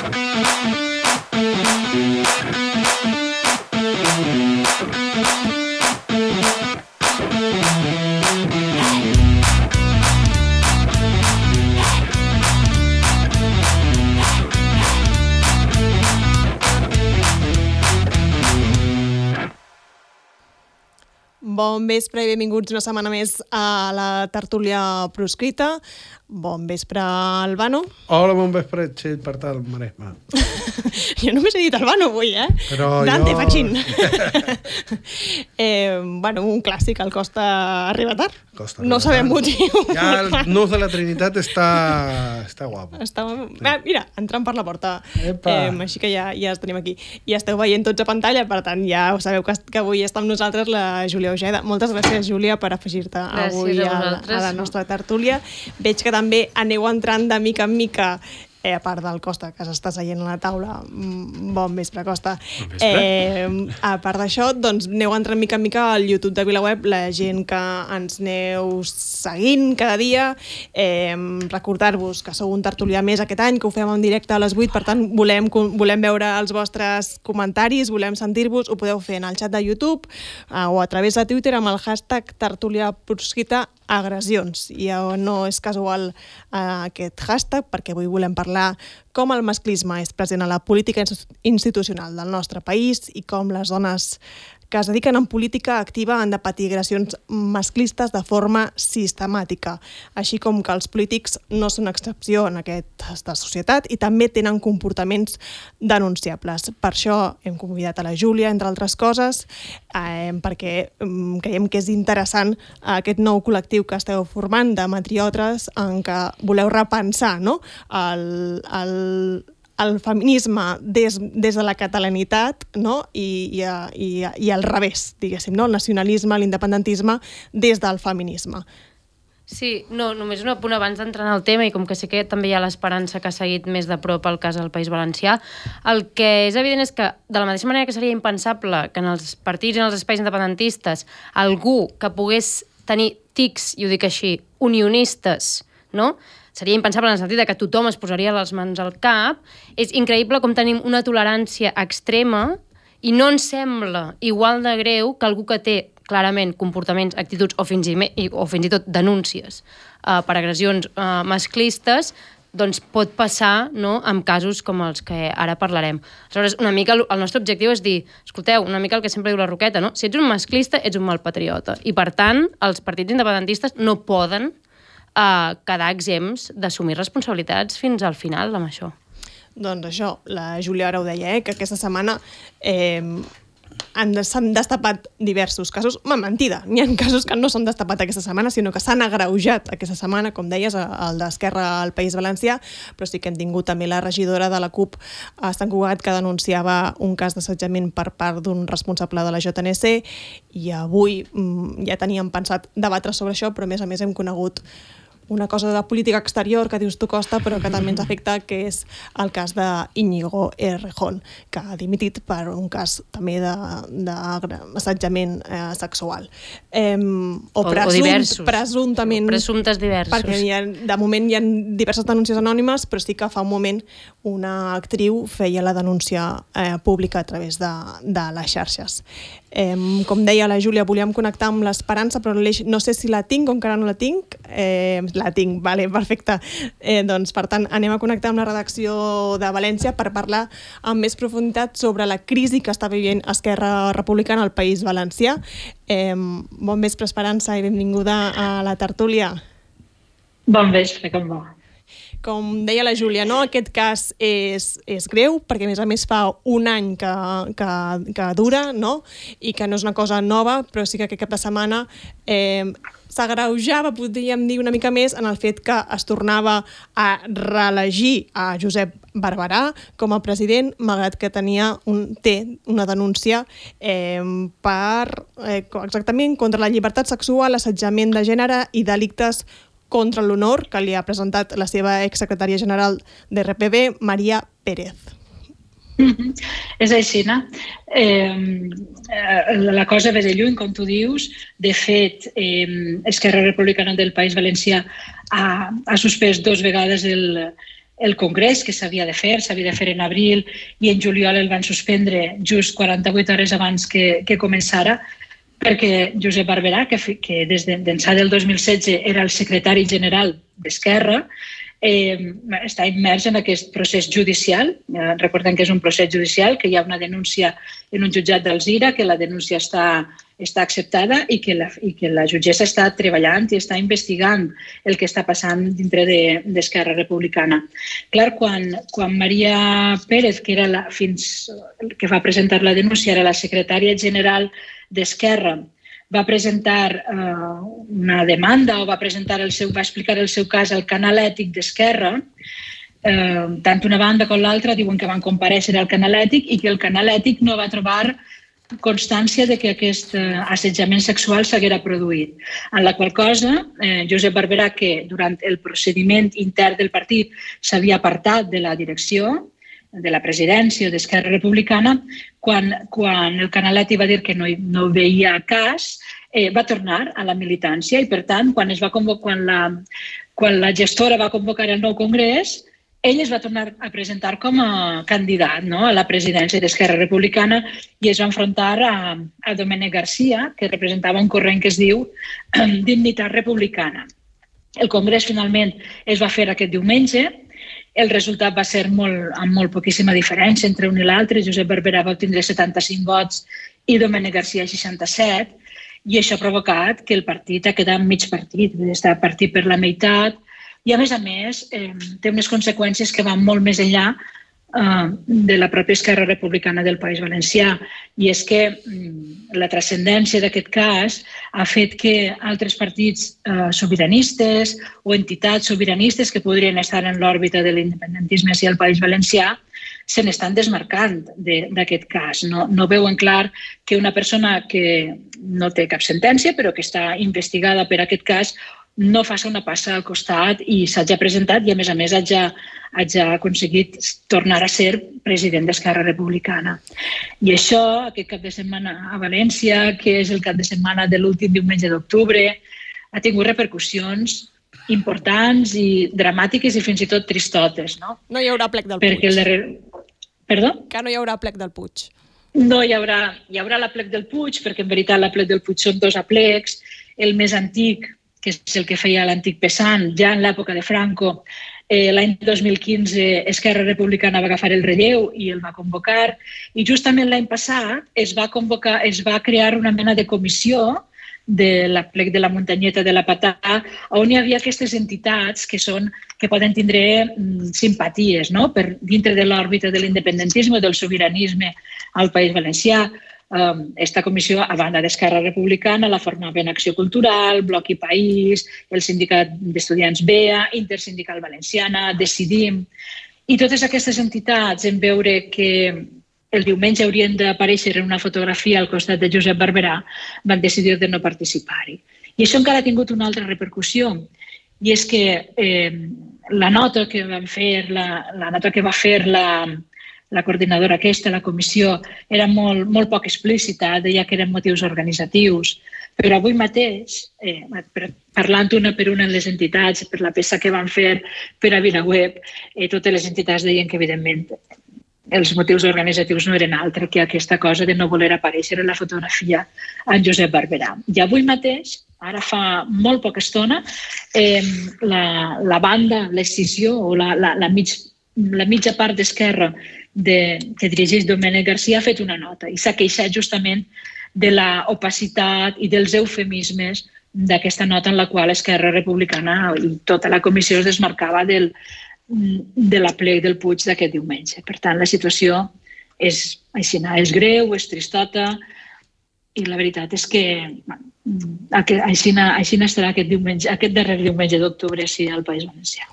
Bon vespre i benvinguts una setmana més a la tertúlia proscrita. Bon vespre, Albano. Hola, bon vespre, Txell, per tal, Maresme. Jo només he dit Albano avui, Però Dante, jo... Fachín. Bueno, un clàssic, el Costa arriba tard. Costa no sabem motiu. Ja el nus de la Trinitat està guapo. Mira, entrant per la porta. Així que ja es tenim aquí. I esteu veient tots a pantalla, per tant, ja ho sabeu que avui està amb nosaltres la Júlia Ojeda. Moltes gràcies, Júlia, per afegir-te avui a la nostra tertúlia. Veig que també aneu entrant de mica en mica, a part del Costa, que s'està seient a la taula. Bon vespre, Costa. A part d'això, doncs aneu entrant mica en mica al YouTube de VilaWeb, la gent que ens aneu seguint cada dia. Recordar-vos que sou un tertulià més aquest any, que ho fem en directe a les 8, per tant, volem veure els vostres comentaris, volem sentir-vos, ho podeu fer en el xat de YouTube o a través de Twitter amb el hashtag tertuliaproscrita agressions. I no és casual aquest hashtag, perquè avui volem parlar com el masclisme és present a la política institucional del nostre país i com les dones que es dediquen en política activa han de patir agressions masclistes de forma sistemàtica, així com que els polítics no són excepció en aquesta societat i també tenen comportaments denunciables. Per això hem convidat a la Júlia, entre altres coses, perquè creiem que és interessant aquest nou col·lectiu que esteu formant de matriotres en què voleu repensar, no?, el feminisme des de la catalanitat, no? I al revés, diguéssim, no? El nacionalisme, l'independentisme des del feminisme. Sí, no, només un apunt abans d'entrar en el tema, i com que sé que també hi ha l'Esperança que ha seguit més de prop el cas del País Valencià, el que és evident és que, de la mateixa manera que seria impensable que en els partits i en els espais independentistes algú que pogués tenir tics, i ho dic així, unionistes, no?, seria impensable en el sentit que tothom es posaria les mans al cap, és increïble com tenim una tolerància extrema i no ens sembla igual de greu que algú que té clarament comportaments, actituds o fins i tot denúncies per agressions masclistes, doncs pot passar, no?, amb casos com els que ara parlarem. Aleshores, una mica el nostre objectiu és dir, escolteu, una mica el que sempre diu la Roqueta, no? Si ets un masclista, ets un mal patriota. I per tant, els partits independentistes no poden quedar exempts d'assumir responsabilitats fins al final amb això. Doncs això, la Júlia ara ho deia, que aquesta setmana s'han destapat diversos casos. Mentida, n'hi ha casos que no s'han destapat aquesta setmana, sinó que s'han agreujat aquesta setmana, com deies, el d'Esquerra al País Valencià, però sí que hem tingut també la regidora de la CUP a Sant Cugat que denunciava un cas d'assetjament per part d'un responsable de la JNC, i avui ja teníem pensat debatre sobre això, però a més hem conegut una cosa de política exterior que dius tu, Costa, però que també ens afecta, que és el cas d'Íñigo Errejón, que ha dimitit per un cas també d'assetjament sexual. O diversos. Presumptament. Presumptes diversos. Perquè de moment hi ha diverses denúncies anònimes, però sí que fa un moment una actriu feia la denúncia pública a través de les xarxes. Com deia la Júlia, volíem connectar amb l'Esperança, però no sé si la tinc o encara no la tinc. La tinc, vale, perfecte. Doncs, per tant, anem a connectar amb la redacció de València per parlar amb més profunditat sobre la crisi que està vivint Esquerra Republicana al País Valencià. Bon vespre, Esperança, i benvinguda a la tertúlia. Bon vespre, com va? Com deia la Júlia, no? Aquest cas és greu, perquè a més fa un any que dura, no? I que no és una cosa nova, però sí que aquest cap de setmana s'agreujava, podríem dir, una mica més en el fet que es tornava a reelegir a Josep Barberà com a president, malgrat que té una denúncia exactament contra la llibertat sexual, assetjament de gènere i delictes contra l'honor que li ha presentat la seva exsecretària general de RPB, Maria Pérez. És així, no? La cosa ve de lluny, com tu dius. De fet, Esquerra Republicana del País Valencià ha suspès 2 vegades el congrés que s'havia de fer en abril i en juliol el van suspendre just 48 hores abans que començara, perquè Josep Barberà, que des d'ençà del 2016 era el secretari general d'Esquerra, està immers en aquest procés judicial. Recordem que és un procés judicial, que hi ha una denúncia en un jutjat d'Alzira, que la denúncia està acceptada i que la jutgessa està treballant i està investigant el que està passant dintre d'Esquerra Republicana. Clar, quan Maria Pérez, que era que va presentar la denúncia, era la secretària general d'Esquerra, va presentar una demanda o va explicar el seu cas al canal ètic d'Esquerra, tant una banda com l'altra diuen que van comparèixer al canal ètic i que el canal ètic no va trobar constància de que aquest assetjament sexual s'haguera produït. En la qual cosa, Josep Barberà, que durant el procediment intern del partit s'havia apartat de la direcció, de la presidència d'Esquerra Republicana, quan el Canalet va dir que no veia cas, va tornar a la militància i, per tant, quan la gestora va convocar el nou congrés, ell es va tornar a presentar com a candidat a la presidència d'Esquerra Republicana i es va enfrontar a Domènec Garcia, que representava un corrent que es diu Dignitat Republicana. El congrés finalment es va fer aquest diumenge. El resultat va ser amb molt poquíssima diferència entre un i l'altre. Josep Barberà va obtenir 75 vots i Domènec Garcia 67, i això ha provocat que el partit ha quedat mig partit, està partit per la meitat, i a més, té unes conseqüències que van molt més enllà de la pròpia Esquerra Republicana del País Valencià, i és que la transcendència d'aquest cas ha fet que altres partits sobiranistes o entitats sobiranistes que podrien estar en l'òrbita de l'independentisme al País Valencià se n'estan desmarcant d'aquest cas. No veuen clar que una persona que no té cap sentència però que està investigada per aquest cas no faci una passa al costat i s'hagi presentat i, a més, hagi aconseguit tornar a ser president d'Esquerra Republicana. I això, aquest cap de setmana a València, que és el cap de setmana de l'últim diumenge d'octubre, ha tingut repercussions importants i dramàtiques i fins i tot tristotes. No hi haurà plec del Puig. Perdó? Que no hi haurà plec del Puig. No hi haurà la plec del Puig, perquè en veritat la plec del Puig són dos aplecs. El més antic, que és el que feia l'antic Pesant, ja en l'època de Franco, l'any 2015 Esquerra Republicana va agafar el relleu i el va convocar, i justament l'any passat es va crear una mena de comissió de la plec de la Muntanyeta de la Patà, on hi havia aquestes entitats que poden tindre simpaties per dintre de l'òrbita de l'independentisme o del sobiranisme al País Valencià. Esta comissió, a banda d'Esquerra Republicana, la formaven Acció Cultural, Bloc i País, el Sindicat d'Estudiants BEA, Intersindical Valenciana, Decidim. I totes aquestes entitats, en veure que el diumenge haurien d'aparèixer en una fotografia al costat de Josep Barberà, van decidir de no participar-hi. I això encara ha tingut una altra repercussió, i és que la nota que va fer la coordinadora aquesta, la comissió, era molt poc explícita, deia que eren motius organitzatius, però avui mateix, parlant una per una en les entitats, per la peça que van fer per a VilaWeb, totes les entitats deien que, evidentment, els motius organitzatius no eren altre que aquesta cosa de no voler aparèixer en la fotografia en Josep Barberà. I avui mateix, ara fa molt poca estona, la banda, l'escissió o la mitja part d'Esquerra que dirigeix Domènec Garcia ha fet una nota i s'ha queixat justament de l'opacitat i dels eufemismes d'aquesta nota en la qual Esquerra Republicana i tota la comissió es desmarcava de la plec del Puig d'aquest diumenge. Per tant, la situació és greu, és tristota, i la veritat és que així estarà aquest darrer diumenge d'octubre al País Valencià.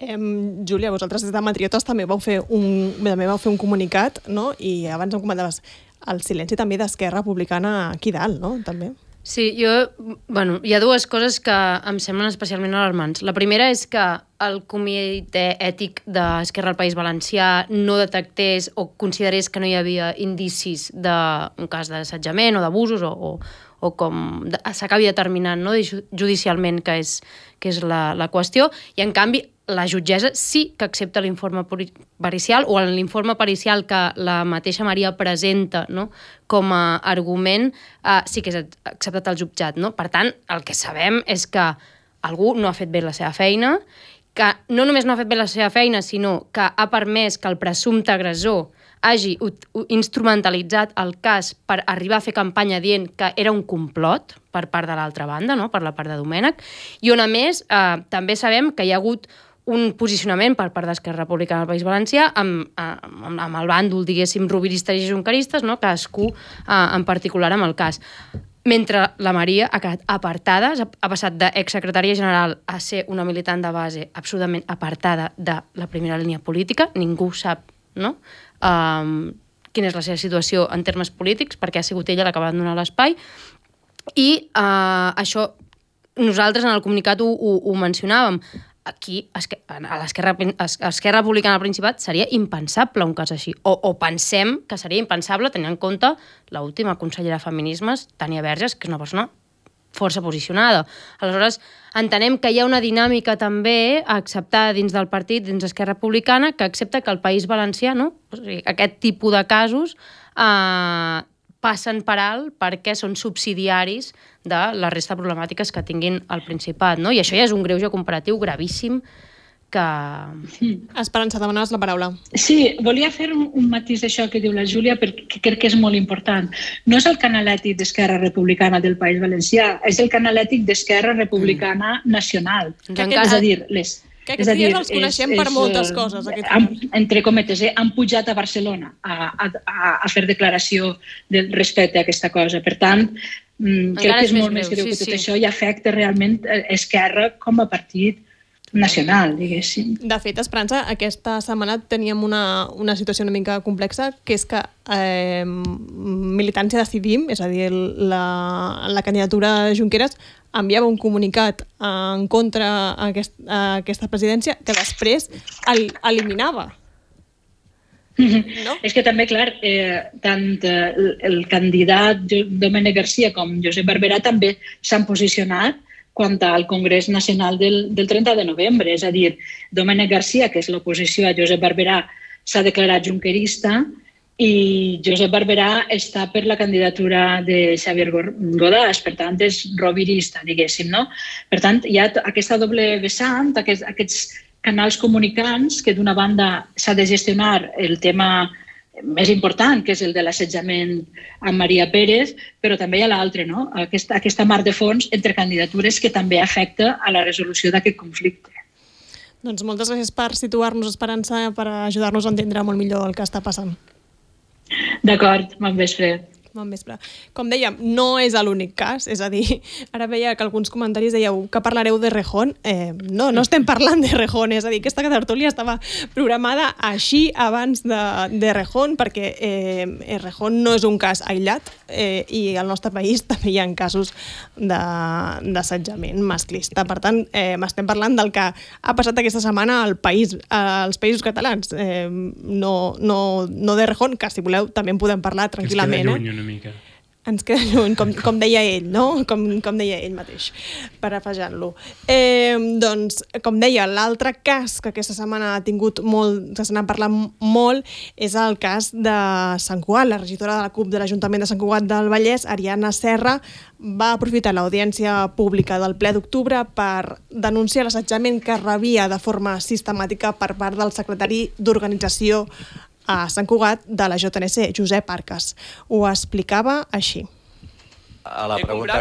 Júlia, vosaltres des de Matriotes també vau fer un comunicat, no? I abans em comentaves el silenci també d'Esquerra Republicana aquí dalt, no? També. Sí, hi ha dues coses que em semblen especialment alarmants. La primera és que el comitè ètic d'Esquerra al País Valencià no detectés o considerés que no hi havia indicis d'un cas d'assetjament o d'abusos o com s'acabi determinant judicialment que és la qüestió, i en canvi la jutgessa sí que accepta l'informe pericial o l'informe pericial que la mateixa Maria presenta, no?, com a argument, sí que és acceptat al jutjat. No? Per tant, el que sabem és que algú no ha fet bé la seva feina, que no només no ha fet bé la seva feina, sinó que ha permès que el presumpte agressor hagi instrumentalitzat el cas per arribar a fer campanya dient que era un complot per part de l'altra banda, no?, per la part de Domènech, i on a més també sabem que hi ha hagut un posicionament per part d'Esquerra Republicana del País Valencià amb el bàndol, diguéssim, roviristes i junqueristes, no?, cadascú en particular amb el cas. Mentre la Maria ha quedat apartada, ha passat d'exsecretària general a ser una militant de base absolutament apartada de la primera línia política. Ningú sap, no?, quina és la seva situació en termes polítics, perquè ha sigut ella la que va donar l'espai. I això, nosaltres en el comunicat ho mencionàvem. Aquí, a l'Esquerra Republicana del Principat, seria impensable un cas així. O pensem que seria impensable tenint en compte l'última consellera de Feminismes, Tània Verges, que és una persona força posicionada. Aleshores, entenem que hi ha una dinàmica també acceptada dins del partit, dins d'Esquerra Republicana, que accepta que el País Valencià, no?, o sigui, aquest tipus de casos passen per alt perquè són subsidiaris de la resta de problemàtiques que tinguin al Principat, no? I això ja és un greuge comparatiu gravíssim que... Esperança, demanaves la paraula. Sí, volia fer un matís d'això que diu la Júlia, perquè crec que és molt important. No és el canal ètic d'Esquerra Republicana del País Valencià, és el canal ètic d'Esquerra Republicana Nacional. És a dir, que aquests dies els coneixem per moltes coses. Entre cometes, han pujat a Barcelona a fer declaració respecte a aquesta cosa. Per tant, crec que és molt més greu que tot això i afecta realment Esquerra com a partit nacional, diguéssim. De fet, Esperança, aquesta setmana teníem una situació una mica complexa, que és que Militància Decidim, és a dir, la candidatura de Junqueras, enviava un comunicat en contra aquesta presidència que després eliminava. No? És que també, clar, tant el candidat Domènech Garcia com Josep Barberà també s'han posicionat quant al Congrés Nacional del 30 de novembre. És a dir, Domènech Garcia, que és l'oposició a Josep Barberà, s'ha declarat junquerista i Josep Barberà està per la candidatura de Xavier Godàs, per tant, és rovirista, diguéssim, no? Per tant, hi ha aquesta doble vessant, aquests canals comunicants que d'una banda s'ha de gestionar el tema més important, que és el de l'assetjament amb Maria Pérez, però també hi ha l'altre, no? Aquesta mar de fons entre candidatures que també afecta a la resolució d'aquest conflicte. Doncs moltes gràcies per situar-nos, Esperança, per ajudar-nos a entendre molt millor el que està passant. D'acord, bon vespre. Bon vespre. Com dèiem, no és l'únic cas, és a dir, ara veia que alguns comentaris dèieu que parlareu de Rejón. No estem parlant de Rejón, és a dir, aquesta tertúlia estava programada així abans de Rejón, perquè Rejón no és un cas aïllat i al nostre país també hi ha casos d'assetjament masclista. Per tant, estem parlant del que ha passat aquesta setmana als països catalans. No de Rejón, que si voleu també en podem parlar tranquil·lament. Mica. Ens queda lluny, com deia ell, no? Com deia ell mateix, parafrasant-lo. Doncs, com deia, l'altre cas que aquesta setmana ha tingut molt, que se n'ha parlat molt, és el cas de Sant Cugat. La regidora de la CUP de l'Ajuntament de Sant Cugat del Vallès, Ariadna Serra, va aprofitar l'audiència pública del ple d'octubre per denunciar l'assetjament que rebia de forma sistemàtica per part del secretari d'Organització a Sant Cugat de la JNC, Josep Arcas. Ho explicava així. A la pregunta...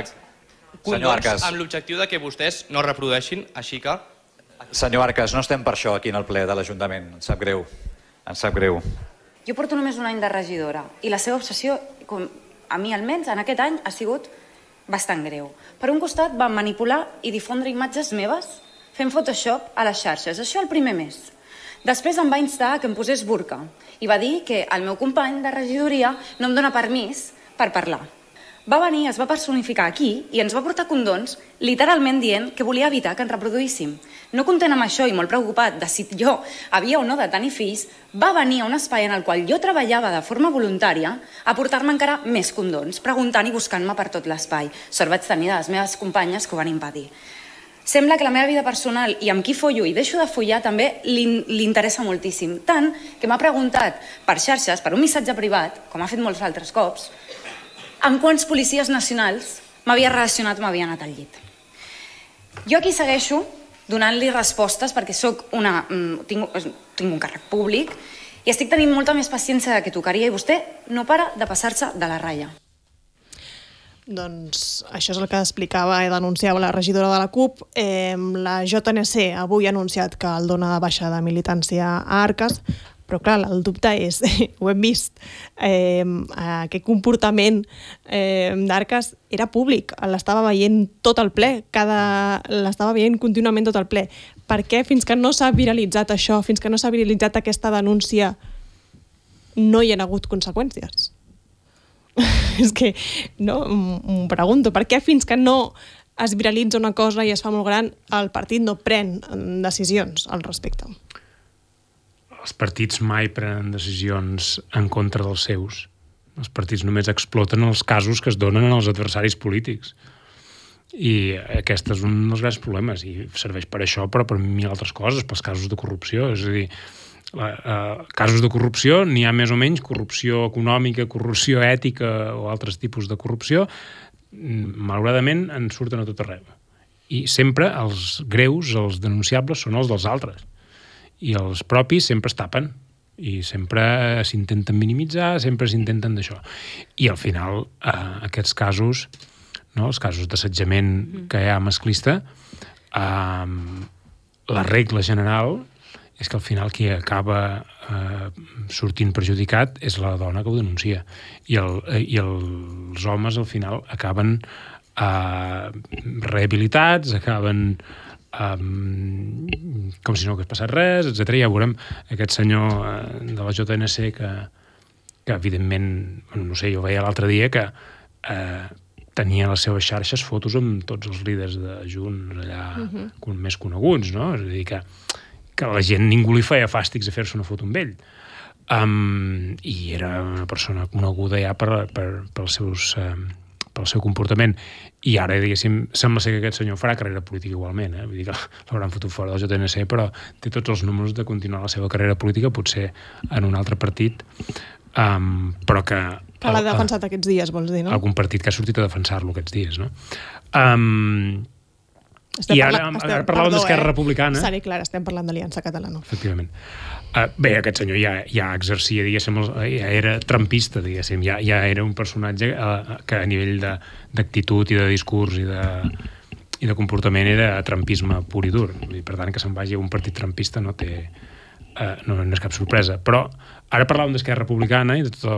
Senyor Arcas. Amb l'objectiu de que vostès no reprodueixin, així que... Senyor Arcas, no estem per això aquí en el ple de l'Ajuntament. Em sap greu. Em sap greu. Jo porto només un any de regidora i la seva obsessió, a mi almenys, en aquest any ha sigut bastant greu. Per un costat van manipular i difondre imatges meves fent Photoshop a les xarxes. Això el primer mes. Després em va instar que em posés burca i va dir que el meu company de regidoria no em dona permís per parlar. Va venir, es va personificar aquí i ens va portar condons literalment dient que volia evitar que ens reproduíssim. No content amb això i molt preocupat de si jo havia o no de tenir fills, va venir a un espai en el qual jo treballava de forma voluntària a portar-me encara més condons, preguntant i buscant-me per tot l'espai. Sort vaig tenir de les meves companyes que ho van impedir. sembla que la meva vida personal i amb qui follo i deixo de follar també li interessa moltíssim. Tant que m'ha preguntat per xarxes, per un missatge privat, com ha fet molts altres cops, amb quants policies nacionals m'havia relacionat o m'havia anat al llit. Jo aquí segueixo donant-li respostes perquè tinc un càrrec públic i estic tenint molta més paciència del que tocaria i vostè no para de passar-se de la ratlla. Doncs això és el que explicava i denunciava la regidora de la CUP. La JNC avui ha anunciat que el dona de baixa de militància a Arques, però clar, el dubte és, ho hem vist, aquest comportament d'Arques era públic, l'estava veient tot el ple, l'estava veient contínuament tot el ple. Per què fins que no s'ha viralitzat això, fins que no s'ha viralitzat aquesta denúncia, no hi ha hagut conseqüències? És que, no, m'ho pregunto, per què fins que no es viralitza una cosa i es fa molt gran, el partit no pren decisions al respecte? Els partits mai prenen decisions en contra dels seus. Els partits només exploten els casos que es donen als adversaris polítics. I aquest és un dels grans problemes, i serveix per això, però per mil altres coses, pels casos de corrupció. És a dir, casos de corrupció, n'hi ha més o menys, corrupció econòmica, corrupció ètica o altres tipus de corrupció, malauradament en surten a tot arreu. I sempre els greus, els denunciables, són els dels altres. I els propis sempre es tapen i sempre s'intenten minimitzar, sempre s'intenten d'això. I al final, aquests casos, no, els casos d'assetjament que hi ha masclista, la regla general és que al final qui acaba sortint perjudicat és la dona que ho denuncia. I els homes al final acaben rehabilitats, acaben com si no hagués passat res, etc. Ja veurem aquest senyor de la JNC que evidentment, no sé, jo veia l'altre dia que tenia a les seves xarxes fotos amb tots els líders de Junts allà més coneguts, no? És a dir, que la gent, ningú li feia fàstics a fer-se una foto amb ell. I era una persona coneguda ja pel seu comportament. I ara, diguéssim, sembla ser que aquest senyor farà carrera política igualment. Vull dir que l'hauran fotut fora del JNC, però té tots els números de continuar la seva carrera política, potser en un altre partit, però que... Que l'ha defensat aquests dies, vols dir, no? Algun partit que ha sortit a defensar-lo aquests dies, no? I ara parlàvem d'Esquerra Republicana. Seré clar, estem parlant d'Aliança Catalana. Efectivament. Bé, aquest senyor ja exercia, diguéssim, ja era trumpista, diguéssim, ja era un personatge que a nivell d'actitud i de discurs i de comportament era trumpisme pur i dur. Per tant, que se'n vagi a un partit trumpista no és cap sorpresa. Però ara parlàvem d'Esquerra Republicana i de totes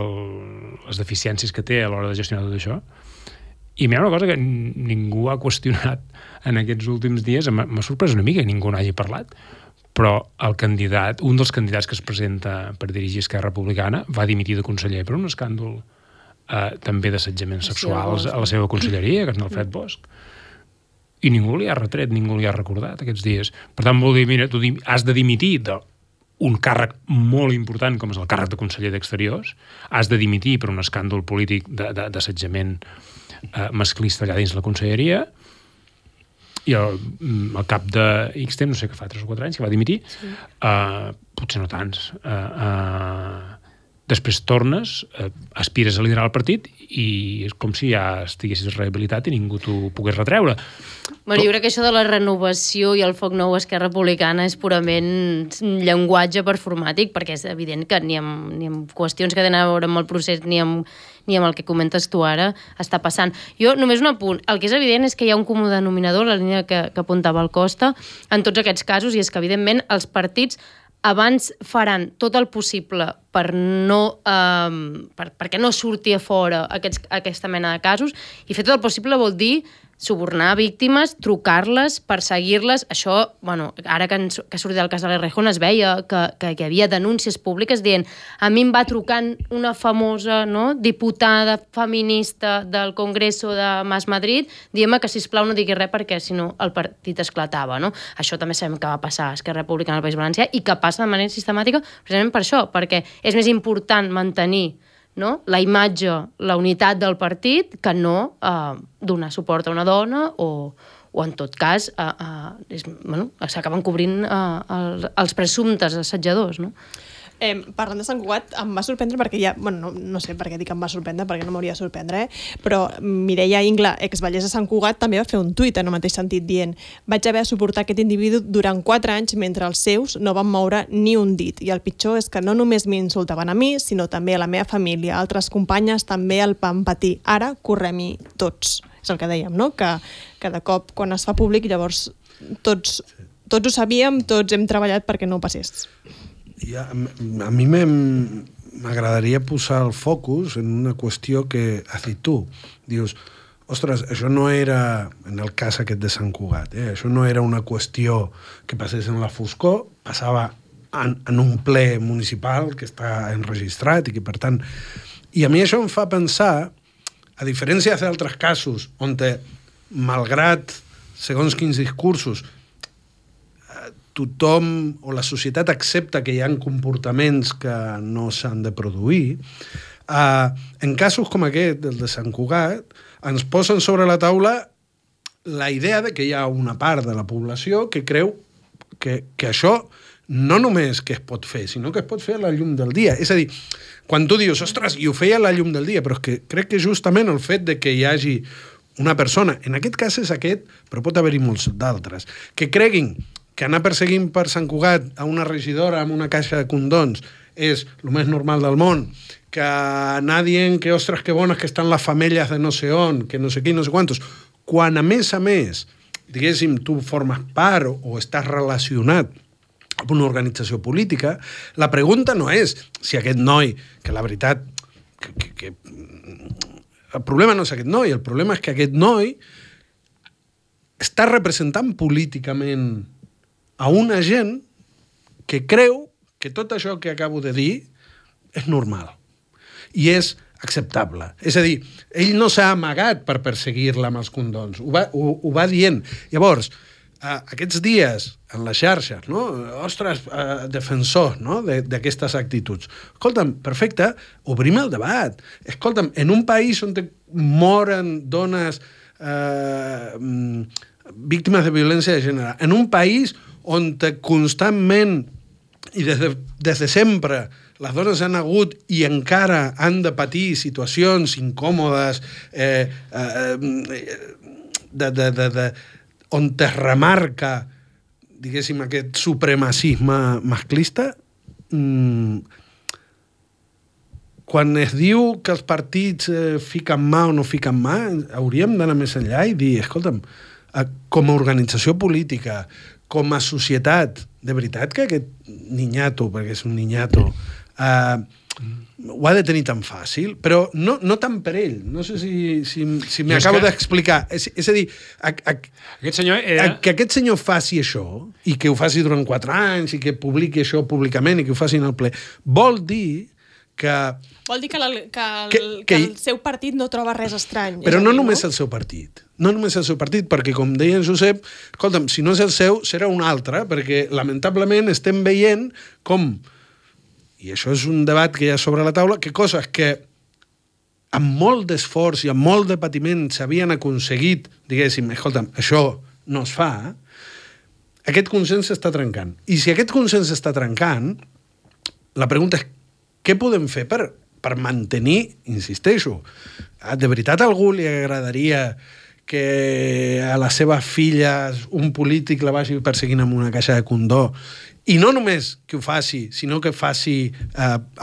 les deficiències que té a l'hora de gestionar tot això. I hi ha una cosa que ningú ha qüestionat en aquests últims dies, m'ha sorprès una mica que ningú n'hagi parlat, però un dels candidats que es presenta per dirigir Esquerra Republicana va dimitir de conseller per un escàndol també d'assetjament sexual a la seva conselleria, que és Alfred Bosch. I ningú li ha retret, ningú li ha recordat aquests dies. Per tant, vol dir, mira, tu has de dimitir d'un càrrec molt important com és el càrrec de conseller d'Exteriors, has de dimitir per un escàndol polític d'assetjament masclista allà dins la conselleria, i al cap de X temps, no sé què fa, 3 o 4 anys, que va dimitir, potser no tants. Després tornes, aspires a liderar el partit i és com si ja estiguessis rehabilitat i ningú t'ho pogués retreure. Bueno, jo crec que això de la renovació i el foc nou a Esquerra Republicana és purament llenguatge performàtic, perquè és evident que ni amb qüestions que tenen a veure amb el procés ni amb el que comentes tu ara està passant. Jo, només un apunt, el que és evident és que hi ha un comú denominador, la línia que apuntava el Costa, en tots aquests casos, i és que evidentment els partits abans faran tot el possible perquè no surti a fora aquesta mena de casos, i fer tot el possible vol dir subornar víctimes, trucar-les, perseguir-les. Això, bueno, ara que ha sortit el cas de l'Errejón es veia que hi havia denúncies públiques dient a mi em va trucant una famosa diputada feminista del Congreso de Mas Madrid dient-me que sisplau no digui res perquè si no el partit esclatava. No? Això també sabem que va passar a Esquerra Republicana al País Valencià i que passa de manera sistemàtica precisament per això, perquè és més important mantenir la imatge, la unitat del partit, que no donar suport a una dona o o en tot cas s'acaben cobrint els presumptes assetjadors, no? Parlant de Sant Cugat, em va sorprendre perquè no sé per què dic em va sorprendre, perquè no m'hauria de sorprendre, però Mireia Ingla, exbatllessa de Sant Cugat, també va fer un tuit en el mateix sentit dient: vaig haver de suportar aquest individu durant 4 anys mentre els seus no van moure ni un dit, i el pitjor és que no només m'insultaven a mi, sinó també a la meva família, altres companyes també el van patir, ara correm-hi tots. És el que dèiem, no? Que de cop quan es fa públic llavors tots ho sabíem, tots hem treballat perquè no passés. A mi m'agradaria posar el focus en una qüestió que has dit tu. Dius, ostres, això no era, en el cas aquest de Sant Cugat, això no era una qüestió que passés en la foscor, passava en un ple municipal que està enregistrat i que, per tant... I a mi això em fa pensar, a diferència d'altres casos, on malgrat segons quins discursos tothom o la societat accepta que hi ha comportaments que no s'han de produir, en casos com aquest, el de Sant Cugat, ens posen sobre la taula la idea de que hi ha una part de la població que creu que això no només que es pot fer, sinó que es pot fer a la llum del dia. És a dir, quan tu dius, ostres, i ho feia a la llum del dia, però és que crec que justament el fet de que hi hagi una persona, en aquest cas és aquest, però pot haver-hi molts d'altres, que creguin que anar perseguint per Sant Cugat a una regidora amb una caixa de condons és el més normal del món, que anar dient que, ostres, que bones que estan les femelles de no sé on, que no sé qui, no sé quantos, quan a més, diguéssim, tu formes part o estàs relacionat amb una organització política, la pregunta no és si aquest noi, que la veritat, el problema no és aquest noi, el problema és que aquest noi està representant políticament a una gent que creu que tot això que acabo de dir és normal i és acceptable. És a dir, ell no s'ha amagat per perseguir-la amb els condons, ho va dient. Llavors, aquests dies en les xarxes, no? Ostres, defensors, no? d'aquestes actituds. Escolta'm, perfecte, obrim el debat. Escolta'm, en un país on moren dones víctimes de violència de gènere, en un país on constantment i des de sempre les dones han hagut i encara han de patir situacions incòmodes on es remarca, diguéssim, aquest supremacisme masclista, quan es diu que els partits fiquen mà o no fiquen mà, hauríem d'anar més enllà i dir, escolta'm, com a organització política, com a societat, de veritat que aquest niñato, perquè és un niñato, ho ha de tenir tan fàcil, però no tant per ell. No sé si m'acabo d'explicar. És a dir, que aquest senyor faci això, i que ho faci durant 4 anys, i que publiqui això públicament, i que ho faci en el ple, vol dir que... Vol dir que el seu partit no troba res estrany. Però no només el seu partit. No només el seu partit, perquè, com deia en Josep, escolta'm, si no és el seu, serà un altre, perquè, lamentablement, estem veient com, i això és un debat que hi ha sobre la taula, que coses que amb molt d'esforç i amb molt de patiment s'havien aconseguit, diguéssim, escolta'm, això no es fa, aquest consens s'està trencant. I si aquest consens s'està trencant, la pregunta és què podem fer per mantenir, insisteixo, de veritat a algú li agradaria que a les seves filles un polític la vagi perseguint amb una caixa de condó, i no només que ho faci, sinó que faci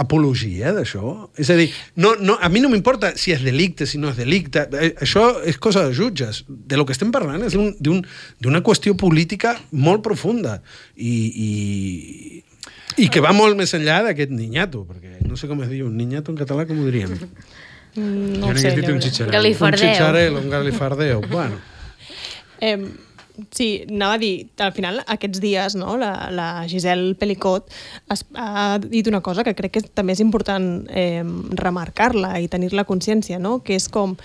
apologia d'això? És a dir, a mi no m'importa si és delicte, si no és delicte, això és cosa de jutges. De lo que estem parlant és d'una qüestió política molt profunda i que va molt més enllà d'aquest niñato, perquè no sé com es diu, un niñato en català, com ho diríem? No ho sé. Galifardeu. Un galifardeu. Bueno. Sí, anava a dir, al final, aquests dies, no, la Giselle Pelicot ha dit una cosa que crec que també és important remarcar-la i tenir-la consciència, no? Que és com,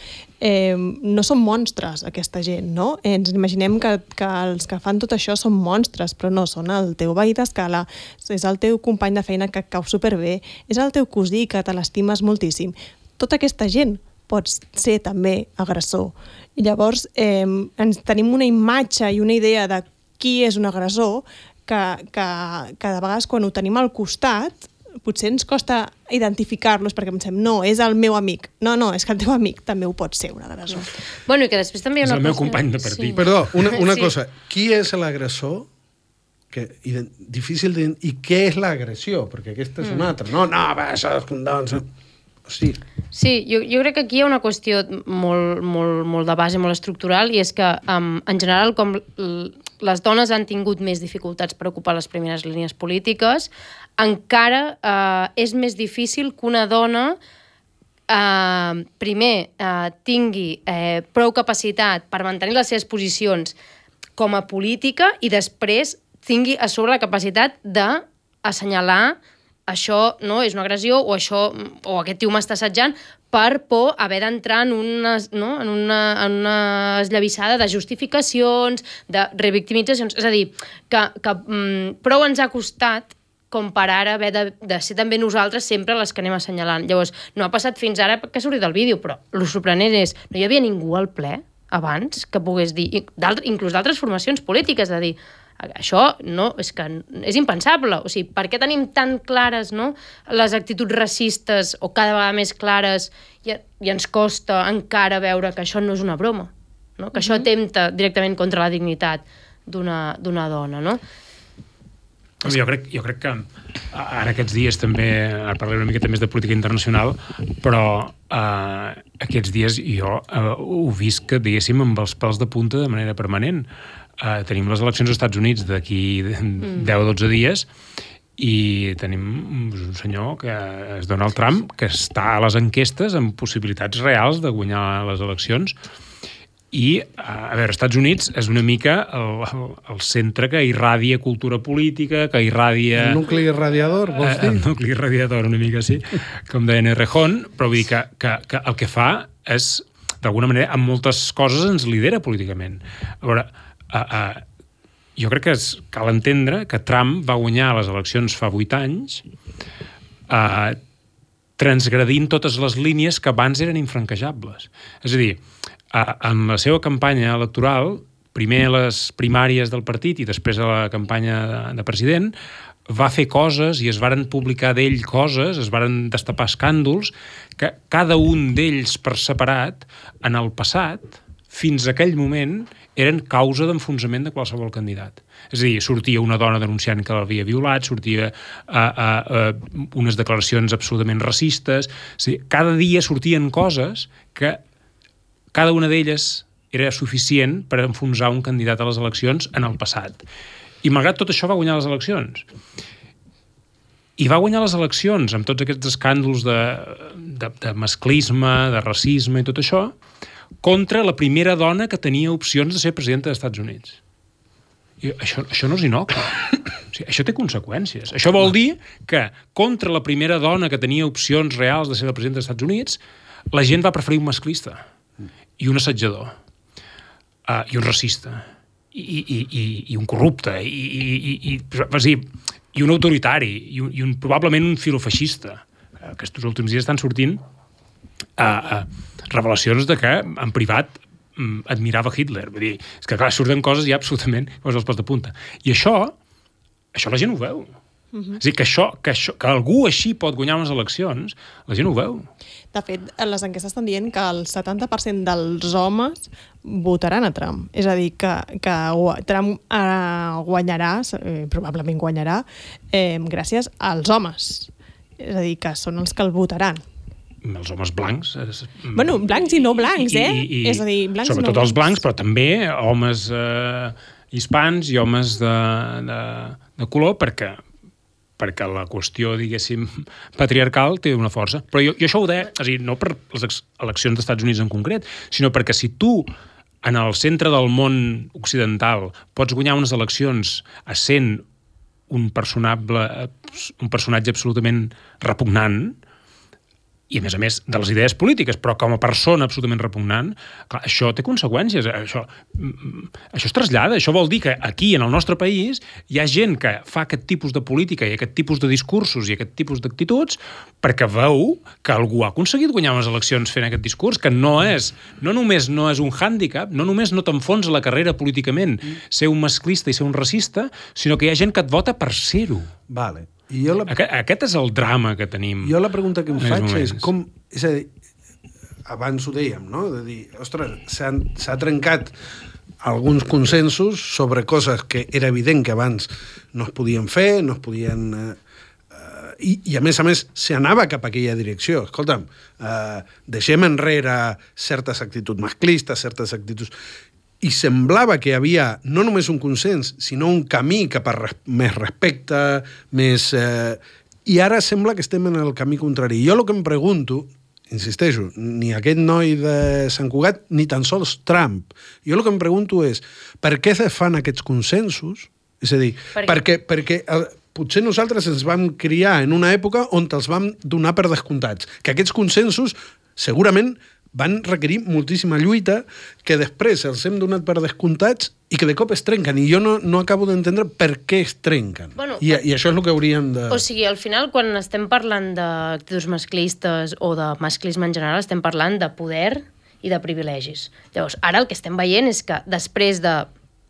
no són monstres, aquesta gent, no? Ens imaginem que els que fan tot això són monstres, però no, són el teu veí d'escala, és el teu company de feina que cau superbé, és el teu cosí que te l'estimes moltíssim. Tota aquesta gent pots ser també agressor. I llavors ens tenim una imatge i una idea de qui és un agressor que de vegades quan ho tenim al costat potser ens costa identificar-los perquè pensem, no, és el meu amic. No, és que el teu amic també ho pot ser un agressor. Bueno, i que després també hi ha una És el meu company de partit. Sí. Perdó, una cosa. Qui és l'agressor? Difícil de... I què és l'agressió? Perquè aquesta és una altra. No, això és condons... Sí. Sí, jo crec que aquí hi ha una qüestió molt de base, molt estructural, i és que, en general, com les dones han tingut més dificultats per ocupar les primeres línies polítiques, encara és més difícil que una dona primer tingui prou capacitat per mantenir les seves posicions com a política i després tingui a sobre la capacitat d'assenyalar això no és una agressió o aquest tio m'està assetjant per por haver d'entrar en una esllavissada de justificacions, de revictimitzacions. És a dir, que prou ens ha costat com per ara haver de ser també nosaltres sempre les que anem assenyalant. Llavors, no ha passat fins ara que ha sortit el vídeo, però el sorprenent és, no hi havia ningú al ple abans que pogués dir, inclús d'altres formacions polítiques, de dir, això no, és que és impensable. O sigui, per què tenim tan clares les actituds racistes o cada vegada més clares i ens costa encara veure que això no és una broma, no? Que això atempta directament contra la dignitat d'una dona, no? Jo crec que ara aquests dies també, ara parlaré una miqueta més de política internacional, però aquests dies jo ho visc, diguéssim, amb els pèls de punta de manera permanent. Tenim les eleccions als Estats Units d'aquí 10 o 12 dies i tenim un senyor que és Donald Trump que està a les enquestes amb possibilitats reals de guanyar les eleccions i, a veure, als Estats Units és una mica el centre que irradia cultura política, que irradia... El nucli irradiador, vols dir? El nucli irradiador, una mica sí, com deia Errejón, però vull dir que el que fa és, d'alguna manera, amb moltes coses ens lidera políticament. A veure, jo crec que cal entendre que Trump va guanyar les eleccions fa 8 anys transgredint totes les línies que abans eren infranquejables. És a dir, en la seva campanya electoral, primer a les primàries del partit i després a la campanya de president, va fer coses i es varen publicar d'ell coses, es varen destapar escàndols, que cada un d'ells per separat, en el passat, fins a aquell moment, eren causa d'enfonsament de qualsevol candidat. És a dir, sortia una dona denunciant que l'havia violat, sortia unes declaracions absolutament racistes... És a dir, cada dia sortien coses que cada una d'elles era suficient per enfonsar un candidat a les eleccions en el passat. I malgrat tot això va guanyar les eleccions. I va guanyar les eleccions amb tots aquests escàndols de masclisme, de racisme i tot això, contra la primera dona que tenia opcions de ser presidenta dels Estats Units. I això no és innocu. O sigui, això té conseqüències. Això vol dir que contra la primera dona que tenia opcions reals de ser la presidenta dels Estats Units, la gent va preferir un masclista i un assetjador i un racista i un corrupte i un autoritari i probablement un filofeixista. Aquests últims dies estan sortint revelacions de que en privat admirava Hitler. Vull dir, és que clar, surten coses ja absolutament als pèls de punta. I això la gent ho veu. És a dir, que algú així pot guanyar unes eleccions, la gent ho veu. De fet, les enquestes estan dient que el 70% dels homes votaran a Trump. És a dir, que Trump guanyarà, probablement guanyarà, gràcies als homes. És a dir, que són els que el votaran. Els homes blancs. Bueno, blancs i no blancs, és a dir, blancs sobretot no els blancs, però també homes hispans i homes de color, perquè la qüestió, diguéssim, patriarcal té una força. Però jo això ho deia, és a dir, no per les eleccions dels Estats Units en concret, sinó perquè si tu, en el centre del món occidental, pots guanyar unes eleccions essent un personatge absolutament repugnant, i a més de les idees polítiques, però com a persona absolutament repugnant, clar, això té conseqüències, això es trasllada, això vol dir que aquí, en el nostre país, hi ha gent que fa aquest tipus de política i aquest tipus de discursos i aquest tipus d'actituds perquè veu que algú ha aconseguit guanyar unes eleccions fent aquest discurs, que no només no és un hàndicap, no només no t'enfonsa la carrera políticament ser un masclista i ser un racista, sinó que hi ha gent que et vota per ser-ho. Vale. Aquest és el drama que tenim. Jo la pregunta que em faig és com... És a dir, abans ho dèiem, no? De dir, ostres, s'ha trencat alguns consensos sobre coses que era evident que abans no es podien fer, no es podien... I a més, s'anava cap a aquella direcció. Escolta'm, deixem enrere certes actituds masclistes, certes actituds... I semblava que hi havia no només un consens, sinó un camí cap a més respecte, més... I ara sembla que estem en el camí contrari. Jo el que em pregunto, insisteixo, ni aquest noi de Sant Cugat, ni tan sols Trump. Jo el que em pregunto és, per què se fan aquests consensos? És a dir, perquè potser nosaltres ens vam criar en una època on els vam donar per descomptats. Que aquests consensos segurament van requerir moltíssima lluita, que després els hem donat per descomptats i que de cop es trenquen. I jo no acabo d'entendre per què es trenquen. Bueno, I això és el que hauríem de... O sigui, al final, quan estem parlant d'actituds masclistes o de masclisme en general, estem parlant de poder i de privilegis. Llavors, ara el que estem veient és que després de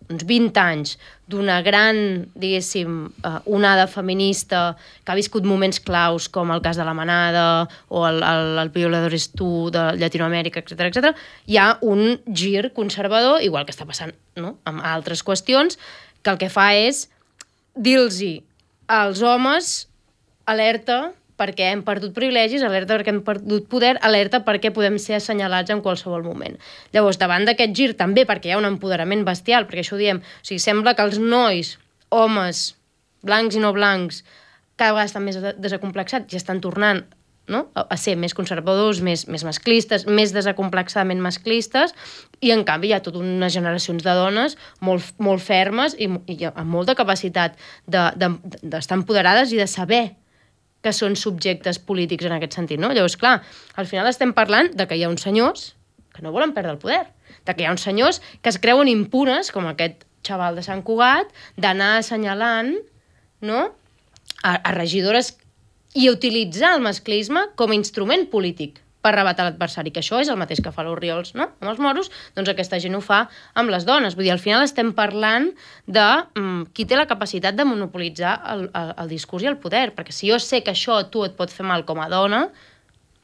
uns 20 anys d'una gran, diguéssim, onada feminista que ha viscut moments claus com el cas de la Manada o el Violadores Tu de Llatinoamèrica, etc., hi ha un gir conservador, igual que està passant, no?, amb altres qüestions, que el que fa és dir-los als homes alerta perquè hem perdut privilegis, alerta perquè hem perdut poder, alerta perquè podem ser assenyalats en qualsevol moment. Llavors, davant d'aquest gir, també perquè hi ha un empoderament bestial, perquè això ho diem, o sigui, sembla que els nois, homes, blancs i no blancs, cada vegada estan més desacomplexats i estan tornant, no?, a ser més conservadors, més masclistes, més desacomplexadament masclistes, i en canvi hi ha totes unes generacions de dones molt fermes i amb molta capacitat d'estar empoderades i de saber que són subjectes polítics en aquest sentit, no? Llavors, clar, al final estem parlant de que hi ha uns senyors que no volen perdre el poder, de que hi ha uns senyors que es creuen impunes, com aquest xaval de Sant Cugat, d'anar assenyalant, no?, a regidores i utilitzar el masclisme com a instrument polític per rebatar l'adversari, que això és el mateix que fa l'Orriols, no?, amb els moros, doncs aquesta gent ho fa amb les dones. Vull dir, al final estem parlant de qui té la capacitat de monopolitzar el discurs i el poder, perquè si jo sé que això a tu et pot fer mal com a dona,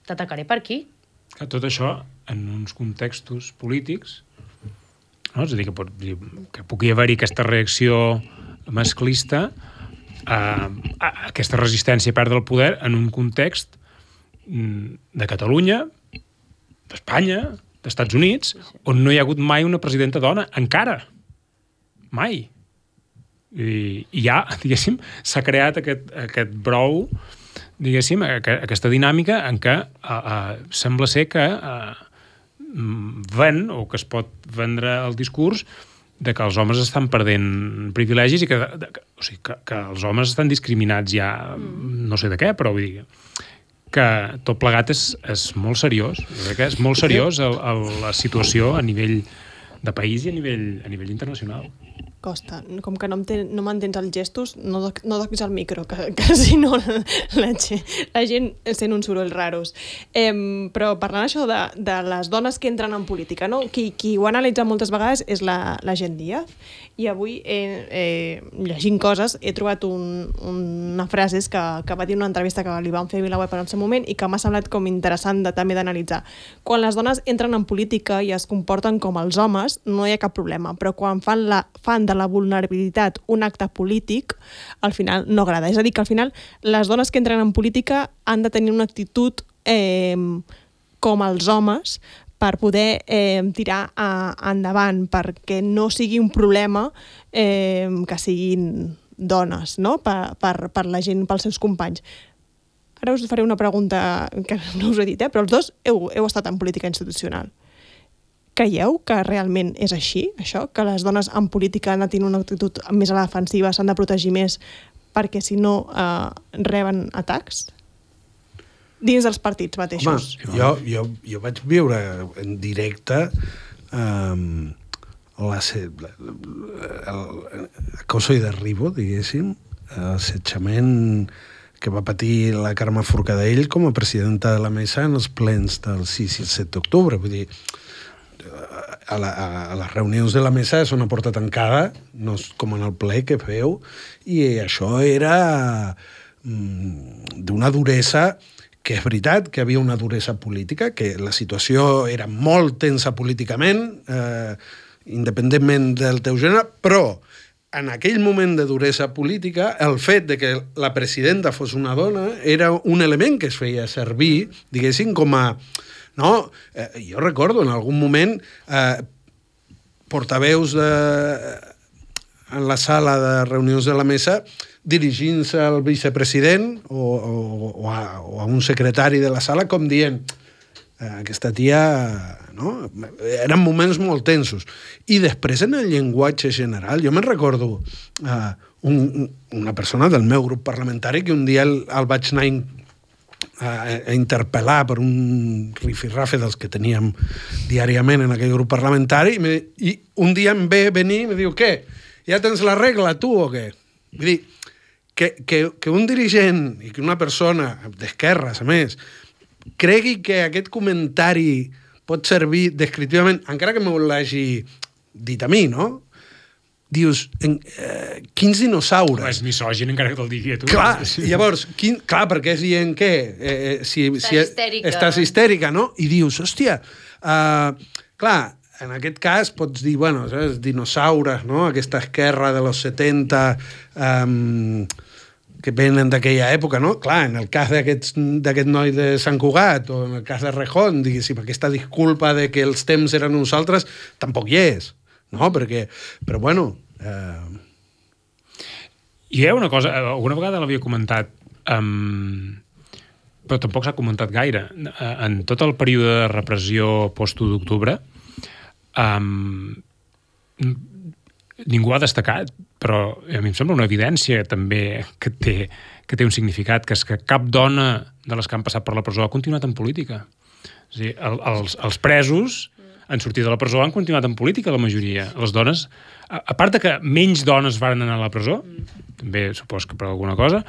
t'atacaré per aquí. Tot això en uns contextos polítics, no? És a dir, que pugui haver-hi aquesta reacció masclista, aquesta resistència a perdre el poder en un context de Catalunya, d'Espanya, d'Estats Units, on no hi ha hagut mai una presidenta dona, encara. Mai. I ja, diguéssim, s'ha creat aquest brou, diguéssim, aquesta dinàmica en què sembla ser que ven, o que es pot vendre el discurs de que els homes estan perdent privilegis i que els homes estan discriminats ja, no sé de què, però vull dir que tot plegat és molt seriós. Jo crec que és molt seriós la situació a nivell de país i a nivell internacional. Costa, com que no m'entens els gestos, no toquis el micro, que si no la gent sent uns sorolls raros. Però parlant això de les dones que entren en política, no? Qui ho ha analitzat moltes vegades és la Gent Díaz, i avui llegint coses he trobat una frase que va dir una entrevista que li van fer a VilaWeb en el seu moment i que m'ha semblat com interessant també d'analitzar. Quan les dones entren en política i es comporten com els homes, no hi ha cap problema, però quan fan de la vulnerabilitat un acte polític, al final no agrada. És a dir, que al final les dones que entren en política han de tenir una actitud com els homes per poder tirar endavant, perquè no sigui un problema que siguin dones, no?, per la gent, pels seus companys. Ara us faré una pregunta que no us he dit, però els dos heu estat en política institucional. Creieu que realment és així, això? Que les dones en política han de tenir una actitud més a la defensiva, s'han de protegir més perquè si no reben atacs? dins dels partits mateixos. Home, jo vaig viure en directe acoso i derribo, diguéssim, l'assetjament que va patir la Carme Forcadell com a presidenta de la mesa en els plens del 6 i el 7 d'octubre. Vull dir, a les reunions de la mesa és una porta tancada, no és com en el ple que feu, i això era d'una duresa, que és veritat que hi havia una duresa política, que la situació era molt tensa políticament, independentment del teu gènere, però en aquell moment de duresa política, el fet de que la presidenta fos una dona era un element que es feia servir, diguéssim, com a... No? Jo recordo en algun moment portaveus en la sala de reunions de la mesa dirigint-se al vicepresident o a un secretari de la sala com dient aquesta tia... No? Eren moments molt tensos. I després en el llenguatge general, jo me'n recordo una persona del meu grup parlamentari que un dia el vaig anar a interpel·lar per un rifirrafe dels que teníem diàriament en aquell grup parlamentari i un dia em ve venir i me diu, què? Ja tens la regla, tu, o què? Vull dir, que un dirigent i que una persona d'esquerres, a més, cregui que aquest comentari pot servir descriptivament, encara que me l'hagi dit a mi, no? Dius, quins dinosaures? És misògin encara que te'l digui a tu. Clar, llavors, clar, perquè és dient què? Estàs histèrica, no? I dius, hòstia, clar, en aquest cas pots dir, bueno, saps, dinosaures, no? Aquesta esquerra de los 70 que venen d'aquella època, no? Clar, en el cas d'aquest noi de Sant Cugat o en el cas de Rejón, diguéssim, aquesta disculpa de que els temps eren uns altres, tampoc hi és, no? Perquè, però bueno... Hi ha una cosa, alguna vegada l'havia comentat, però tampoc s'ha comentat gaire. En tot el període de repressió post-1 d'octubre, ningú ha destacat, però a mi em sembla una evidència també que té un significat, que és que cap dona de les que han passat per la presó ha continuat en política. És a dir, els presos han sortit de la presó, han continuat en política, la majoria. Les dones, a part de que menys dones van anar a la presó, també supos que per alguna cosa,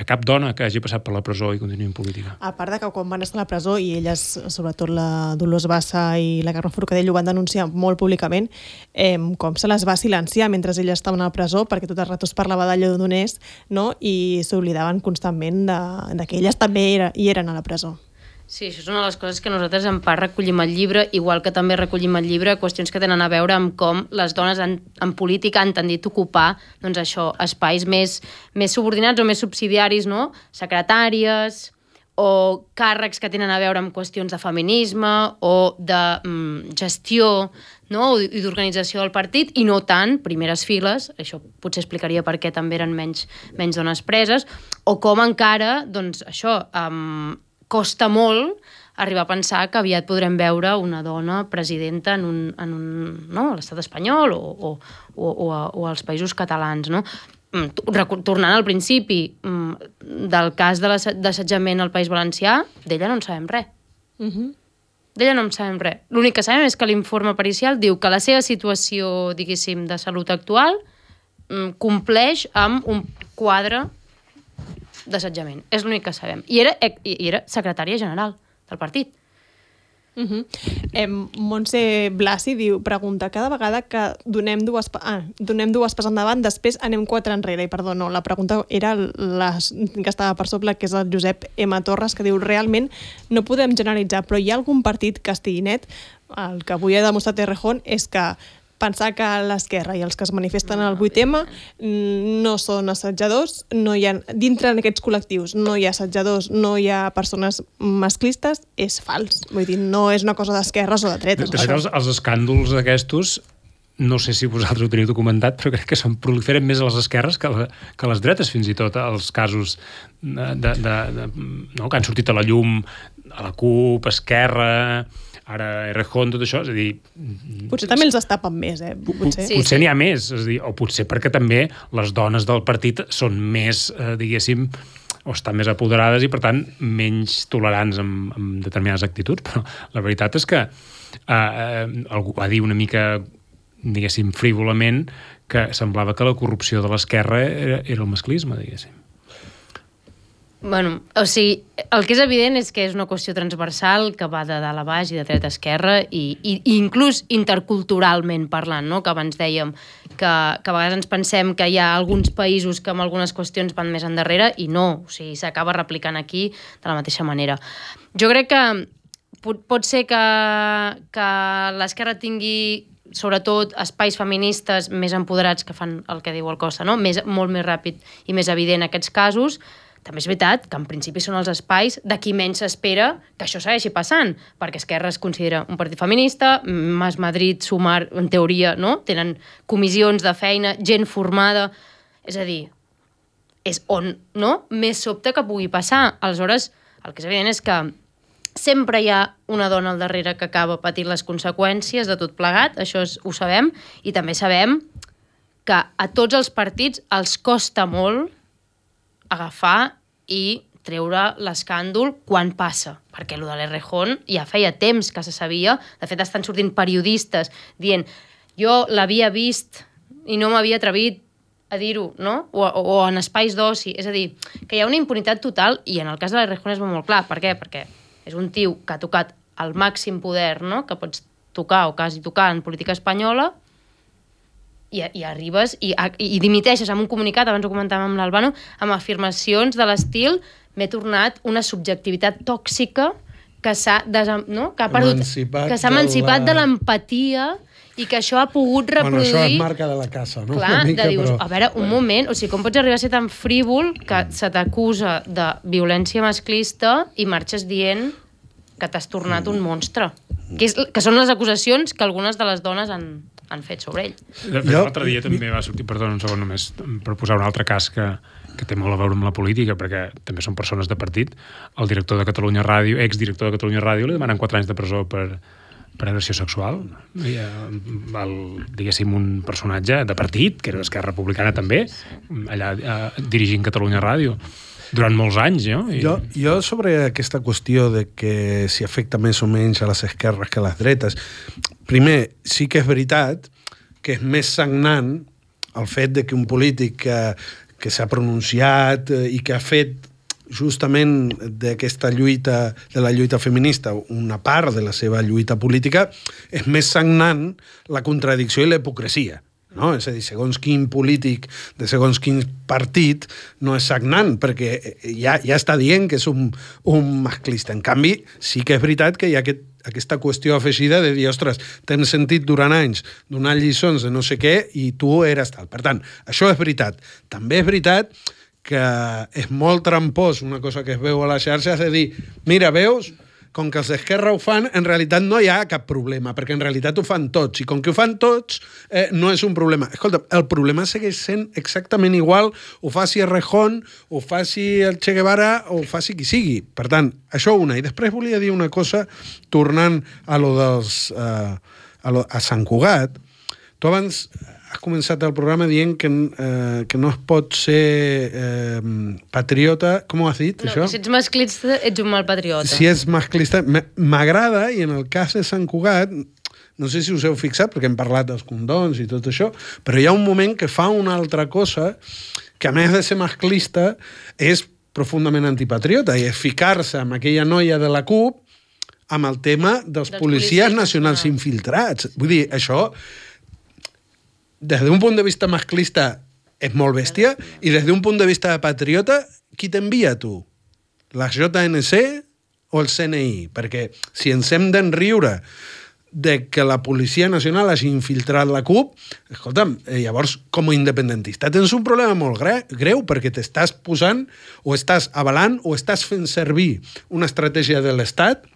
cap dona que hagi passat per la presó i continuï en política. A part de que quan van estar a la presó i elles, sobretot la Dolors Bassa i la Carme Forcadell, ho van denunciar molt públicament, com se les va silenciar mentre elles estaven a la presó, perquè tot el rato es parlava de Lledoners, no? I s'oblidaven constantment de que elles també hi eren a la presó. Sí, això és una de les coses que nosaltres en part recollim al llibre, igual que també recollim al llibre qüestions que tenen a veure amb com les dones en política han tendit a ocupar, doncs això, espais més subordinats o més subsidiaris, no? Secretàries o càrrecs que tenen a veure amb qüestions de feminisme o de gestió, no? I d'organització del partit, i no tant primeres files, això potser explicaria per què també eren menys dones preses, o com encara, doncs això, costa molt arribar a pensar que aviat podrem veure una dona presidenta no, a l'estat espanyol o als països catalans, no? Tornant al principi del cas de l'assetjament al País Valencià, d'ella no en sabem res. D'ella no en sabem res. L'únic que sabem és que l'informe pericial diu que la seva situació, diguéssim, de salut actual compleix amb un quadre d'assetjament. És l'únic que sabem. I era secretària general del partit. Montse Blasi pregunta, cada vegada que donem dues pas endavant, després anem 4 enrere. I perdó, no, la pregunta era que estava per sobre, que és el Josep M. Torres, que diu, realment no podem generalitzar, però hi ha algun partit que estigui net? El que avui ha demostrat Errejón és que pensar que l'esquerra i els que es manifesten al 8M no són assetjadors, no hi ha, dintre d'aquests col·lectius no hi ha assetjadors, no hi ha persones masclistes, és fals. Vull dir, no és una cosa d'esquerres o de dretes. De fet, els escàndols aquests, no sé si vosaltres ho teniu documentat, però crec que proliferen més a les esquerres que a les dretes, fins i tot, els casos que han sortit a la llum a la CUP, Esquerra, ara Errejón, tot això, és a dir... Potser també els estapen més, Potser n'hi ha més, és a dir, o potser perquè també les dones del partit són més, diguéssim, o estan més apoderades i, per tant, menys tolerants amb determinades actituds. Però la veritat és que algú va dir una mica, diguéssim, frívolament, que semblava que la corrupció de l'esquerra era el masclisme, diguéssim. Bueno, o sigui, el que és evident és que és una qüestió transversal que va de dalt a baix i de dreta a esquerra i inclús interculturalment parlant, no? Que abans dèiem que a vegades ens pensem que hi ha alguns països que amb algunes qüestions van més endarrere i no, o sigui, s'acaba replicant aquí de la mateixa manera. Jo crec que pot ser que l'esquerra tingui sobretot espais feministes més empoderats que fan el que diu el Costa, no? Molt més ràpid i més evident aquests casos. També és veritat que en principi són els espais de qui menys s'espera que això segueixi passant, perquè Esquerra es considera un partit feminista, Mas Madrid, Sumar, en teoria, no? Tenen comissions de feina, gent formada, és a dir, és on, no? Més sobte que pugui passar. Aleshores, el que és evident és que sempre hi ha una dona al darrere que acaba patint les conseqüències de tot plegat, això ho sabem, i també sabem que a tots els partits els costa molt agafar i treure l'escàndol quan passa, perquè el de l'Errejón ja feia temps que se sabia, de fet estan sortint periodistes dient jo l'havia vist i no m'havia atrevit a dir-ho, no? O en espais d'oci, és a dir, que hi ha una impunitat total i en el cas de l'Errejón és molt clar. Per què? Perquè és un tio que ha tocat el màxim poder, no? Que pots tocar o quasi tocar en política espanyola i arribes i dimiteixes amb un comunicat, abans ho comentàvem amb l'Albano, amb afirmacions de l'estil m'he tornat una subjectivitat tòxica que s'ha emancipat de l'empatia i que això ha pogut reproduir... Bueno, això és marca de la casa, no? Clar, dius, a veure, un moment, o sigui, com pots arribar a ser tan frívol que se t'acusa de violència masclista i marxes dient que t'has tornat un monstre? Que són les acusacions que algunes de les dones han fet sobre ell. L'altre dia també va sortir, perdona un segon només, per posar un altre cas que té molt a veure amb la política, perquè també són persones de partit. El director de Catalunya Ràdio, exdirector de Catalunya Ràdio, li demanen 4 anys de presó per agressió sexual. Diguéssim, un personatge de partit, que era d'Esquerra Republicana també, allà dirigint Catalunya Ràdio durant molts anys, no? Jo sobre aquesta qüestió de que si afecta més o menys a les esquerres que a les dretes, primer, sí que és veritat que és més sagnant el fet de que un polític que s'ha pronunciat i que ha fet justament d'aquesta lluita, de la lluita feminista, una part de la seva lluita política, és més sagnant la contradicció i la hipocresia. No? És a dir, segons quin polític de segons quin partit no és sagnant, perquè ja està dient que és un masclista. En canvi, sí que és veritat que hi ha aquesta qüestió afegida de dir, ostres, t'hem sentit durant anys donar lliçons de no sé què i tu eres tal. Per tant, això és veritat. També és veritat que és molt trampós una cosa que es veu a les xarxes de dir, mira, veus, com que els d'Esquerra ho fan, en realitat no hi ha cap problema, perquè en realitat ho fan tots, i com que ho fan tots, no és un problema. Escolta, el problema segueix sent exactament igual, ho faci Errejón, ho faci el Che Guevara, o ho faci qui sigui. Per tant, això una. I després volia dir una cosa, tornant a lo dels... a Sant Cugat. Tu abans has començat el programa dient que no es pot ser patriota... Com ho has dit, això? No, si ets masclista, ets un mal patriota. Si ets masclista... M'agrada, i en el cas de Sant Cugat, no sé si us heu fixat, perquè hem parlat dels condons i tot això, però hi ha un moment que fa una altra cosa que, a més de ser masclista, és profundament antipatriota, i és ficar-se amb aquella noia de la CUP amb el tema dels policies nacionals infiltrats. Vull dir, això... Des d'un punt de vista masclista és molt bèstia, i des d'un punt de vista de patriota, qui t'envia tu? La JNC o el CNI? Perquè si ens hem d'enriure de que la Policia Nacional hagi infiltrat la CUP, escolta'm, llavors, com a independentista, tens un problema molt greu, perquè t'estàs posant, o estàs avalant, o estàs fent servir una estratègia de l'Estat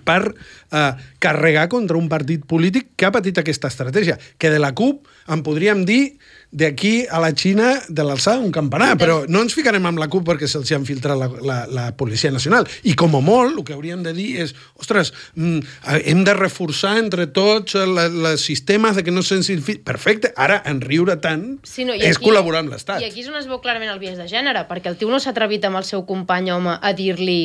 per carregar contra un partit polític que ha patit aquesta estratègia, que de la CUP en podríem dir d'aquí a la Xina de l'alçada d'un campanar, però no ens ficarem amb la CUP perquè se'ls ha infiltrat la Policia Nacional. I com a molt, el que hauríem de dir és, ostres, hem de reforçar entre tots els sistemes de que no se'ns infiltri. Perfecte, ara, en riure tant, és col·laborar amb l'Estat. I aquí és on es veu clarament el biaix de gènere, perquè el tio no s'ha atrevit amb el seu company home a dir-li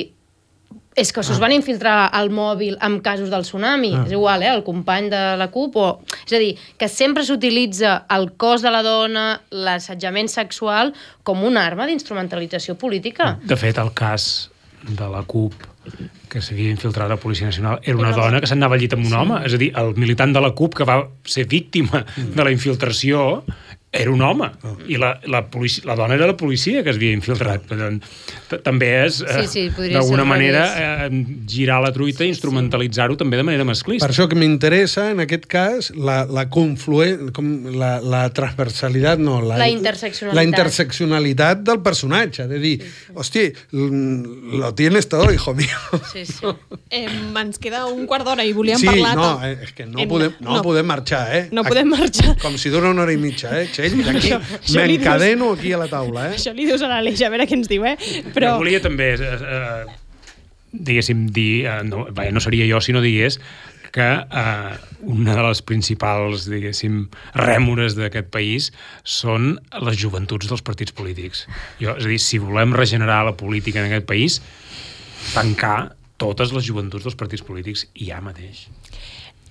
és que s'us van infiltrar al mòbil amb casos del tsunami. És igual, el company de la CUP. És a dir, que sempre s'utilitza el cos de la dona, l'assetjament sexual, com una arma d'instrumentalització política. De fet, el cas de la CUP que s'havia infiltrat a la Policia Nacional era una dona que s'anava al llit amb un home. És a dir, el militant de la CUP que va ser víctima de la infiltració era un home, i la dona era la policia que es havia infiltrat. També és, d'alguna manera, girar la truita i instrumentalitzar-ho també de manera masclista. Per això que m'interessa, en aquest cas, la transversalitat, no, la interseccionalitat. La interseccionalitat del personatge, de dir, hosti, lo tienes todo, hijo mío. Sí. Ens queda un quart d'hora i volíem parlar... Sí, és que no podem marxar, No podem marxar. Com si dura una hora i mitja, D'aquí m'encadeno aquí a la taula. Això li dius a l'Aleix, a veure què ens diu, Però volia també, diguéssim, dir, no seria jo si no digués que una de les principals, diguéssim, rèmores d'aquest país són les joventuts dels partits polítics. És a dir, si volem regenerar la política en aquest país, tancar totes les joventuts dels partits polítics ja mateix.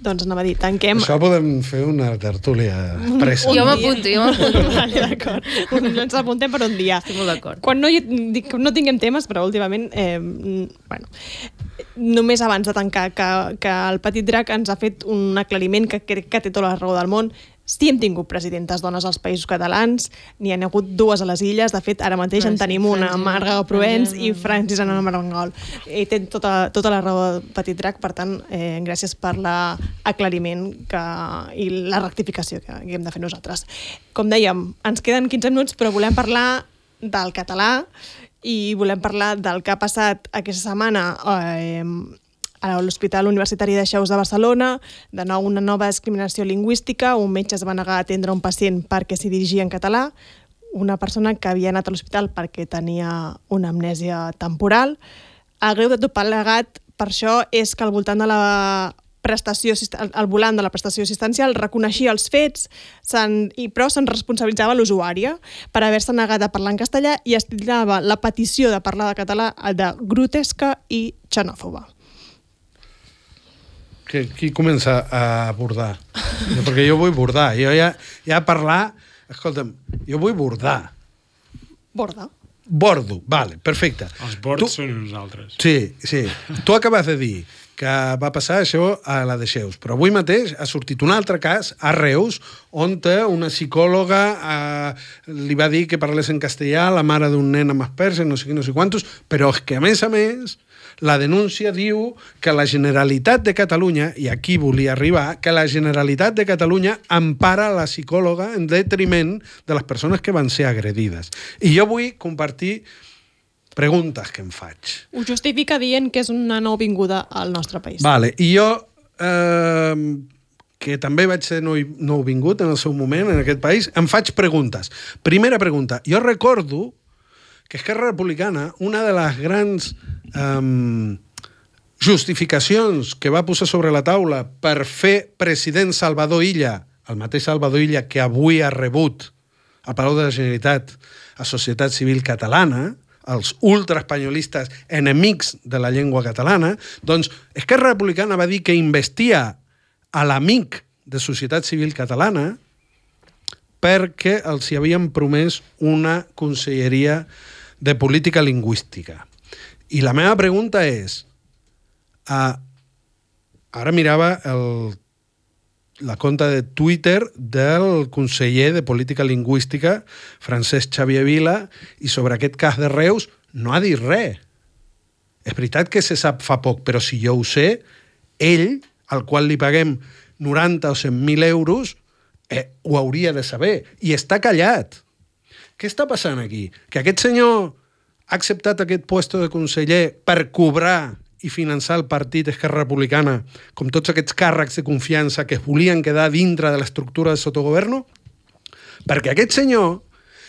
Doncs anava a dir, tanquem... Això podem fer una tertúlia pressa. Jo m'apunto. Vale, d'acord. Ens apuntem per un dia. Estic molt d'acord. Quan no tinguem temes, però últimament... només abans de tancar, que el Petit Drac ens ha fet un aclariment que crec que té tota la raó del món. Sí hem tingut presidentes dones als països catalans, n'hi ha hagut dues a les illes, de fet ara mateix en tenim una, Marga Provence i Francis Ana Marangol. I té tota la raó del Petit Drac, per tant, gràcies per l'aclariment i la rectificació que hem de fer nosaltres. Com dèiem, ens queden 15 minuts, però volem parlar del català i volem parlar del que ha passat aquesta setmana a l'Hospital Universitari de Xeus de Barcelona. De nou, una nova discriminació lingüística. Un metge es va negar a atendre un pacient perquè s'hi dirigia en català. Una persona que havia anat a l'hospital perquè tenia una amnèsia temporal. El greu de tot plegat, per això, és que al voltant de al volant de la prestació assistencial reconeixia els fets, però se'n responsabilitzava l'usuària per haver-se negat a parlar en castellà i estilava la petició de parlar de català de grotesca i xenòfoba. Qui comença a bordar? Perquè jo vull bordar. Jo ja parlar... Escolta'm, jo vull bordar. Borda? Bordo, vale, perfecte. Els bords són nosaltres. Sí. Tu acabes de dir que va passar això a la de Xeus, però avui mateix ha sortit un altre cas a Reus, on una psicòloga li va dir que parlés en castellà a la mare d'un nen amb Asperger, no sé què, no sé quantos, però és que, a més, la denúncia diu que la Generalitat de Catalunya, i aquí volia arribar, que la Generalitat de Catalunya empara la psicòloga en detriment de les persones que van ser agredides. I jo vull compartir preguntes que em faig. Ho justifica dient que és una nouvinguda al nostre país. Vale, i jo, que també vaig ser nouvingut en el seu moment en aquest país, em faig preguntes. Primera pregunta, jo recordo que Esquerra Republicana, una de les grans justificacions que va posar sobre la taula per fer president Salvador Illa, el mateix Salvador Illa que avui ha rebut a Palau de la Generalitat a Societat Civil Catalana, els ultraespanyolistes enemics de la llengua catalana, doncs Esquerra Republicana va dir que investia a l'amic de Societat Civil Catalana perquè els hi havien promès una conselleria de política lingüística. I la meva pregunta és, ara mirava la conta de Twitter del conseller de Política Lingüística, Francesc Xavier Vila, i sobre aquest cas de Reus no ha dit res. És veritat que se sap fa poc, però si jo ho sé, ell, al qual li paguem 90 o 100.000 euros, ho hauria de saber. I està callat. Què està passant aquí? Que aquest senyor ha acceptat aquest puesto de conseller per cobrar i finançar el partit Esquerra Republicana, com tots aquests càrrecs de confiança que es volien quedar dintre de l'estructura de sotogoverno? Perquè aquest senyor,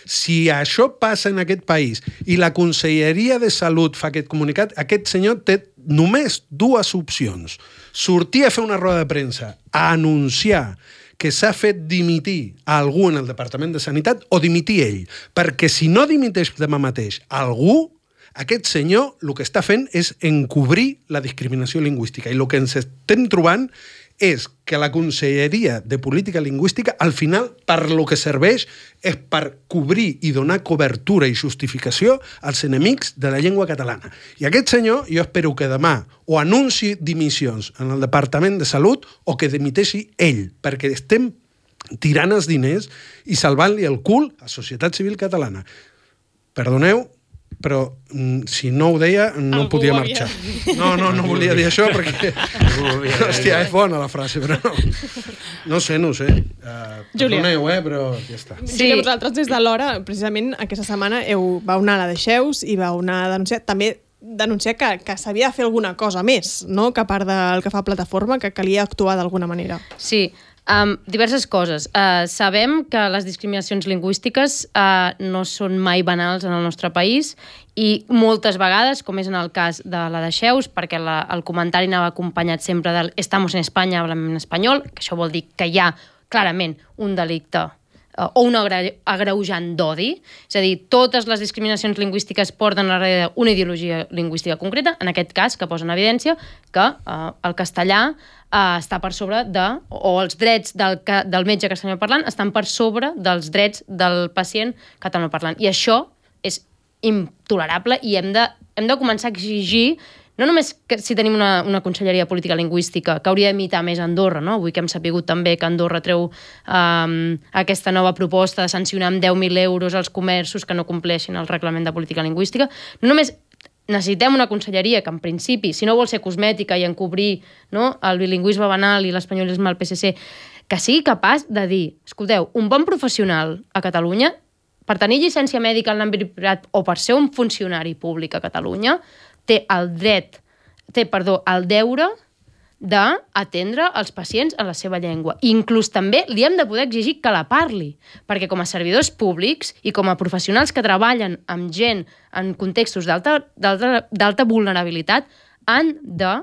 si això passa en aquest país i la Conselleria de Salut fa aquest comunicat, aquest senyor té només dues opcions. Sortir a fer una roda de premsa, a anunciar que s'ha fet dimitir a algú en el Departament de Sanitat o dimitir ell. Perquè si no dimiteix demà mateix algú, aquest senyor el que està fent és encobrir la discriminació lingüística. I el que ens estem trobant és que la Conselleria de Política Lingüística, al final, per lo que serveix, és per cobrir i donar cobertura i justificació als enemics de la llengua catalana. I aquest senyor, jo espero que demà o anunci dimissions en el Departament de Salut o que dimiteixi ell, perquè estem tirant els diners i salvant-li el cul a la societat civil catalana. Perdoneu, però si no ho deia no algú podia marxar. No volia dir això perquè... Hòstia, és bona la frase, però no sé. Perdoneu, però ja està. Sí, que vosaltres des de l'hora, precisament aquesta setmana, vau anar a la de Xeus i vau anar a denunciar que s'havia de fer alguna cosa més, no? Que a part del que fa Plataforma, que calia actuar d'alguna manera. Sí, diverses coses. Sabem que les discriminacions lingüístiques no són mai banals en el nostre país i moltes vegades, com és en el cas de la de Xeus, perquè el comentari anava acompanyat sempre del «estamos en España, hablamos en español», que això vol dir que hi ha clarament un delicte o un agreujant d'odi, és a dir, totes les discriminacions lingüístiques porten darrere una ideologia lingüística concreta, en aquest cas, que posa en evidència que el castellà està per sobre o els drets del metge castellanoparlant estan per sobre dels drets del pacient catalanoparlant. I això és intolerable i hem de començar a exigir no només que si tenim una Conselleria de Política Lingüística que hauria d'imitar més Andorra, no? Avui que hem sapigut també que Andorra treu aquesta nova proposta de sancionar amb 10.000 euros els comerços que no compleixin el reglament de política lingüística, no només necessitem una conselleria que en principi, si no vol ser cosmètica i encobrir, no, el bilingüisme banal i l'espanyolisme al PSC, que sigui capaç de dir, escolteu, un bon professional a Catalunya, per tenir llicència mèdica en l'àmbit privat o per ser un funcionari públic a Catalunya, té el deure d'atendre els pacients en la seva llengua. I inclús també li hem de poder exigir que la parli, perquè com a servidors públics i com a professionals que treballen amb gent en contextos d'alta vulnerabilitat han de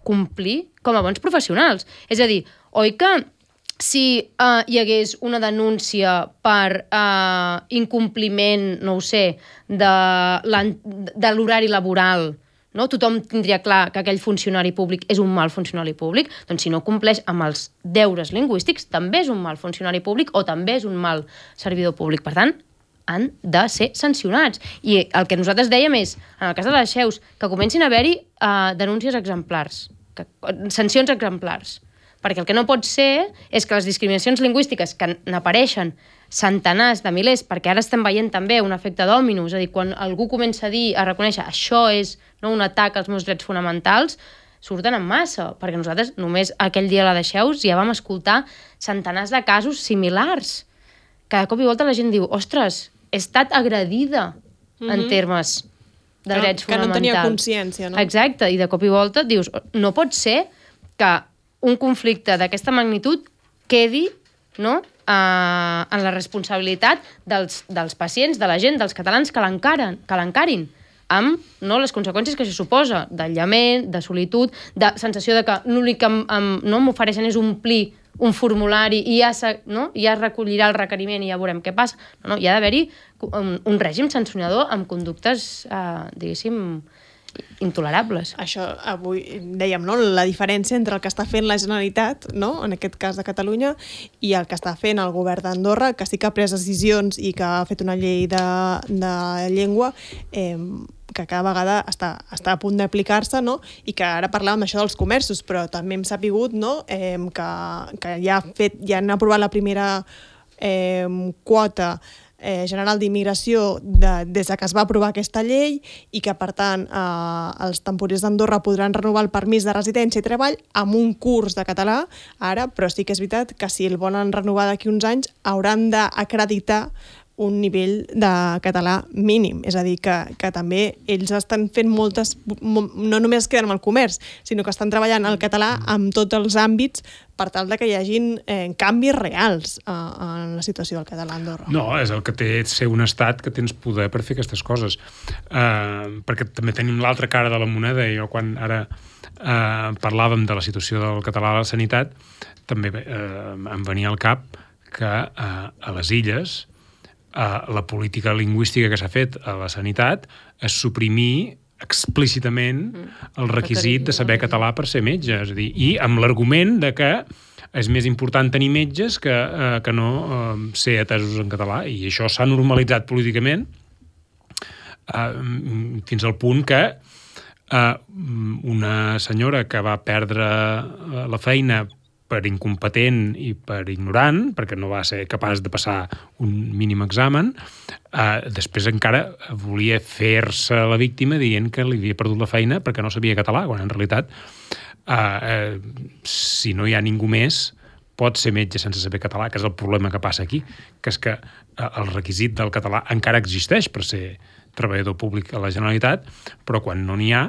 complir com a bons professionals. És a dir, oi que si hi hagués una denúncia per incompliment, no ho sé, de l'horari laboral, no? Tothom tindria clar que aquell funcionari públic és un mal funcionari públic, doncs si no compleix amb els deures lingüístics també és un mal funcionari públic o també és un mal servidor públic. Per tant, han de ser sancionats. I el que nosaltres dèiem és, en el cas de les Xeus, que comencin a haver-hi denúncies exemplars, sancions exemplars. Perquè el que no pot ser és que les discriminacions lingüístiques que n'apareixen centenars de milers, perquè ara estem veient també un efecte dòmino, és a dir, quan algú comença a dir, a reconèixer això és un atac als meus drets fonamentals, surten en massa, perquè nosaltres només aquell dia a la de Xeus ja vam escoltar centenars de casos similars, que de cop i volta la gent diu, ostres, he estat agredida en termes de drets fonamentals. Que no tenia consciència, no? Exacte, i de cop i volta dius, no pot ser que un conflicte d'aquesta magnitud quedi, no?, en la responsabilitat dels pacients, de la gent, dels catalans que l'encarin, amb les conseqüències que això suposa, d'aïllament, de solitud, de sensació de que l'únic que m'ofereixen és omplir un formulari i ja recollirà el requeriment i ja veurem què passa. No, hi ha d'haver-hi un règim sancionador amb conductes, diguéssim, intolerables. Això, avui dèiem, no? La diferència entre el que està fent la Generalitat, no? En aquest cas de Catalunya, i el que està fent el govern d'Andorra, que sí que ha pres decisions i que ha fet una llei de llengua que cada vegada està a punt d'aplicar-se, no? I que ara parlàvem això dels comerços, però també hem sapigut, no? Que ja han aprovat la primera quota general d'immigració des que es va aprovar aquesta llei i que, per tant, els temporers d'Andorra podran renovar el permís de residència i treball amb un curs de català ara, però sí que és veritat que si el volen renovar d'aquí uns anys hauran d'acreditar un nivell de català mínim. És a dir, que també ells estan fent moltes... No només es queden amb el comerç, sinó que estan treballant el català en tots els àmbits per tal de que hi hagin canvis reals en la situació del català a Andorra. No, és el que té ser un estat que tens poder per fer aquestes coses. Perquè també tenim l'altra cara de la moneda, i jo quan ara parlàvem de la situació del català a la sanitat, també em venia al cap que a les illes la política lingüística que s'ha fet a la sanitat és suprimir explícitament el requisit de saber català per ser metge, és a dir, i amb l'argument de que és més important tenir metges que no ser atesos en català, i això s'ha normalitzat políticament fins al punt que una senyora que va perdre la feina per incompetent i per ignorant, perquè no va ser capaç de passar un mínim examen, després encara volia fer-se la víctima dient que li havia perdut la feina perquè no sabia català, quan en realitat si no hi ha ningú més pot ser metge sense saber català, que és el problema que passa aquí, que és que el requisit del català encara existeix per ser treballador públic a la Generalitat, però quan no n'hi ha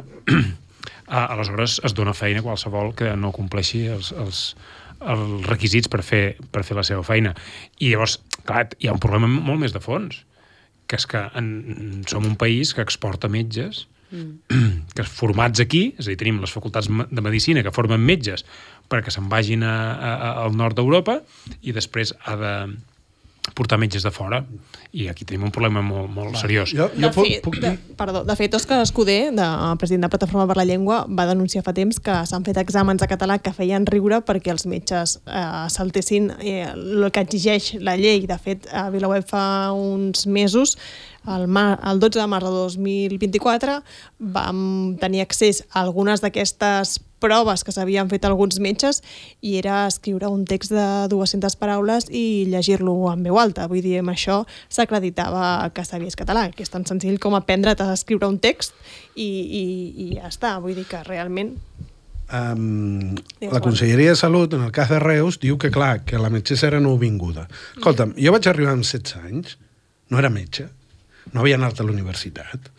aleshores es dona feina a qualsevol que no compleixi els requisits per fer la seva feina. I llavors, clar, hi ha un problema molt més de fons, que és que som un país que exporta metges que formats aquí, és a dir, tenim les facultats de medicina que formen metges perquè se'n vagin al nord d'Europa i després ha de portar metges de fora, i aquí tenim un problema molt seriós. De fet, Òscar Escudé, president de Plataforma per la Llengua, va denunciar fa temps que s'han fet exàmens de català que feien riure perquè els metges saltessin el que exigeix la llei. De fet, a VilaWeb fa uns mesos, el 12 de març de 2024, vam tenir accés a algunes d'aquestes proves que s'havien fet alguns metges, i era escriure un text de 200 paraules i llegir-lo en veu alta. Vull dir, amb això s'acreditava que sabies català, que és tan senzill com aprendre't a escriure un text i ja està. Vull dir que realment... La Conselleria de Salut, en el cas de Reus, diu que, clar, que la metgessa era nouvinguda. Escolta'm, jo vaig arribar amb 16 anys, no era metge, no havia anat a la universitat,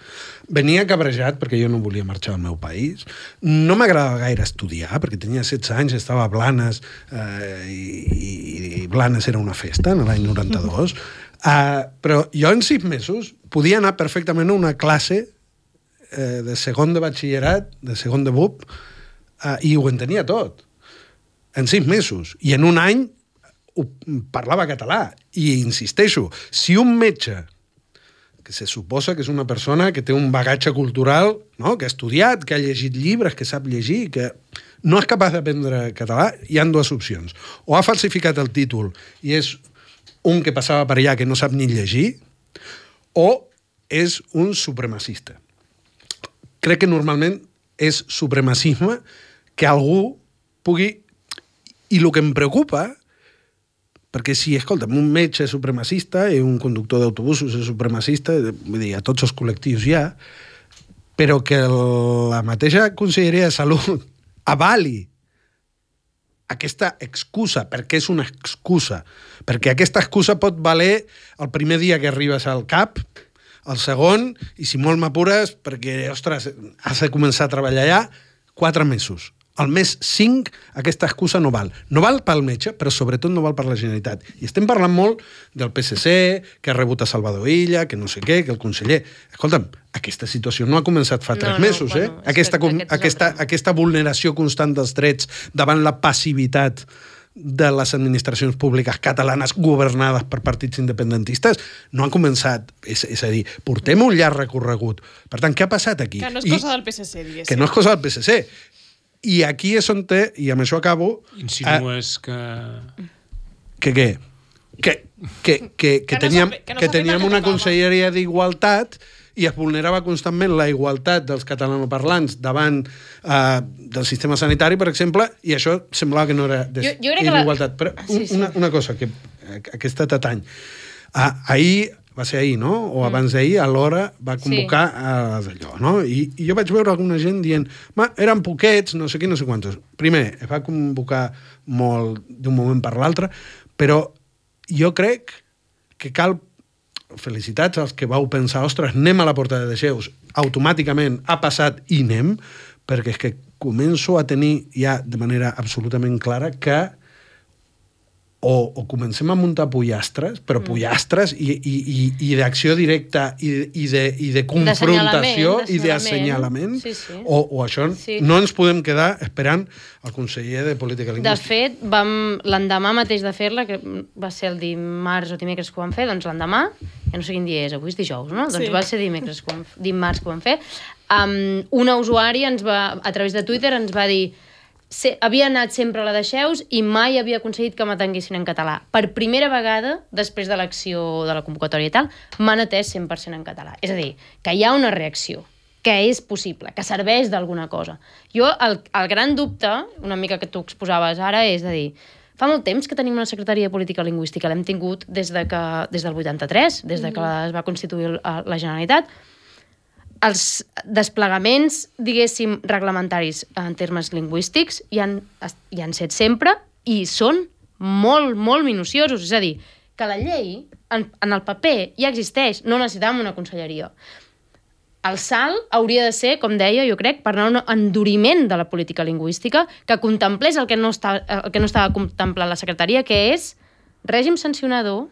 venia cabrejat perquè jo no volia marxar al meu país, no m'agradava gaire estudiar perquè tenia 16 anys, estava a Blanes i Blanes era una festa en l'any 92, però jo en 6 mesos podia anar perfectament a una classe de segon de batxillerat, de segon de BUP, i ho entenia tot en 6 mesos, i en un any parlava català. I insisteixo, si un metge que se suposa que és una persona que té un bagatge cultural, no? Que ha estudiat, que ha llegit llibres, que sap llegir, que no és capaç d'aprendre català, hi ha 2 opcions. O ha falsificat el títol i és un que passava per allà que no sap ni llegir, o és un supremacista. Crec que normalment és supremacisme que algú pugui... I el que em preocupa, perquè si, escolta'm, un metge és supremacista i un conductor d'autobusos és supremacista, vull dir, a tots els col·lectius hi ha, però que la mateixa Conselleria de Salut avali aquesta excusa, perquè és una excusa, perquè aquesta excusa pot valer el primer dia que arribes al CAP, el segon, i si molt m'apures, perquè, ostres, has de començar a treballar allà, 4 mesos. Al mes 5 aquesta excusa no val. No val pel metge, però sobretot no val per la Generalitat. I estem parlant molt del PSC, que ha rebut a Salvador Illa, que no sé què, que el conseller... Escolta'm, aquesta situació no ha començat fa 3 mesos, eh? Aquesta vulneració constant dels drets davant la passivitat de les administracions públiques catalanes governades per partits independentistes no han començat. És a dir, portem un llarg recorregut. Per tant, què ha passat aquí? Que no és cosa del PSC, diguéssim. Que no és cosa del PSC. I aquí és on té, i amb això acabo... Insinues que... Que què? Que teníem una conselleria d'igualtat i es vulnerava constantment la igualtat dels catalanoparlants davant del sistema sanitari, per exemple, i això semblava que no era d'igualtat. Però una cosa que aquesta tatany. Ahir va ser ahir, no? O abans d'ahir, a l'hora va convocar d'allò, no? I jo vaig veure alguna gent dient eren poquets, no sé què, no sé quantos. Primer, es va convocar molt d'un moment per l'altre, però jo crec que cal felicitats als que vau pensar, ostres, anem a la portada de Xeus, automàticament ha passat i anem, perquè és que començo a tenir ja de manera absolutament clara que o comencem a muntar pollastres, però pollastres i d'acció directa i de confrontació i d'assenyalament, o això no ens podem quedar esperant el conseller de Política Lingüística. De fet, l'endemà mateix de fer-la, que va ser el dimarts o dimecres que ho vam fer, doncs l'endemà, ja no sé quin dia és, avui és dijous, no? Doncs va ser dimarts que ho vam fer. Una usuària a través de Twitter ens va dir havia anat sempre a la de Xeus i mai havia aconseguit que m'atenguessin en català. Per primera vegada, després de l'acció de la convocatòria i tal, m'han atès 100% en català. És a dir, que hi ha una reacció, que és possible, que serveix d'alguna cosa. Jo, el gran dubte, una mica que tu exposaves ara, és de dir, fa molt temps que tenim una secretaria de Política Lingüística, l'hem tingut des del 83, des de que es va constituir la Generalitat. Els desplegaments, diguéssim, reglamentaris en termes lingüístics hi han set sempre i són molt, molt minuciosos. És a dir, que la llei en el paper ja existeix, no necessitem una conselleria. El salt hauria de ser, com deia, jo crec, per anar a un enduriment de la política lingüística que contemplés el que no estava contemplant la secretaria, que és règim sancionador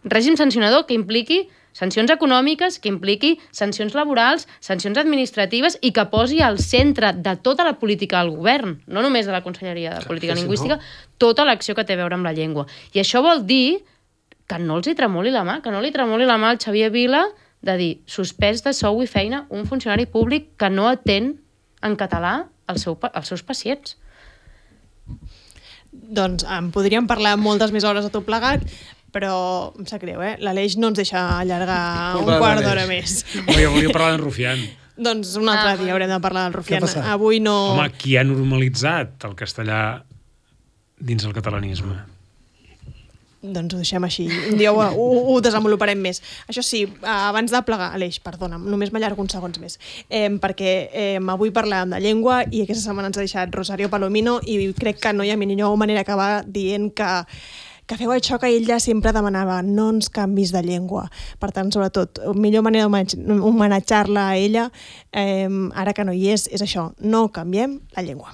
que impliqui sancions econòmiques, que impliqui sancions laborals, sancions administratives i que posi al centre de tota la política del govern, no només de la Conselleria de Política Lingüística, tota l'acció que té a veure amb la llengua. I això vol dir que no els hi tremoli la mà, que no li tremoli la mà al Xavier Vila de dir suspès de sou i feina un funcionari públic que no atén en català els seus pacients. Doncs en podríem parlar moltes més hores de tot plegat, però em sap greu, l'Aleix no ens deixa allargar un quart d'hora més. Jo volia parlar d'en Rufián. Doncs un altre dia haurem de parlar del Rufián. Avui no... Home, qui ha normalitzat el castellà dins el catalanisme? Doncs ho deixem així. Un dia ho desenvoluparem més. Això sí, abans de plegar, Aleix, perdona'm, només m'allargo uns segons més, perquè avui parlàvem de llengua i aquesta setmana ens ha deixat Rosario Palomino i crec que no hi ha millor manera d'acabar dient que feu això que ell ja sempre demanava, no ens canvis de llengua. Per tant, sobretot, millor manera d'homenatjar-la a ella, ara que no hi és això, no canviem la llengua.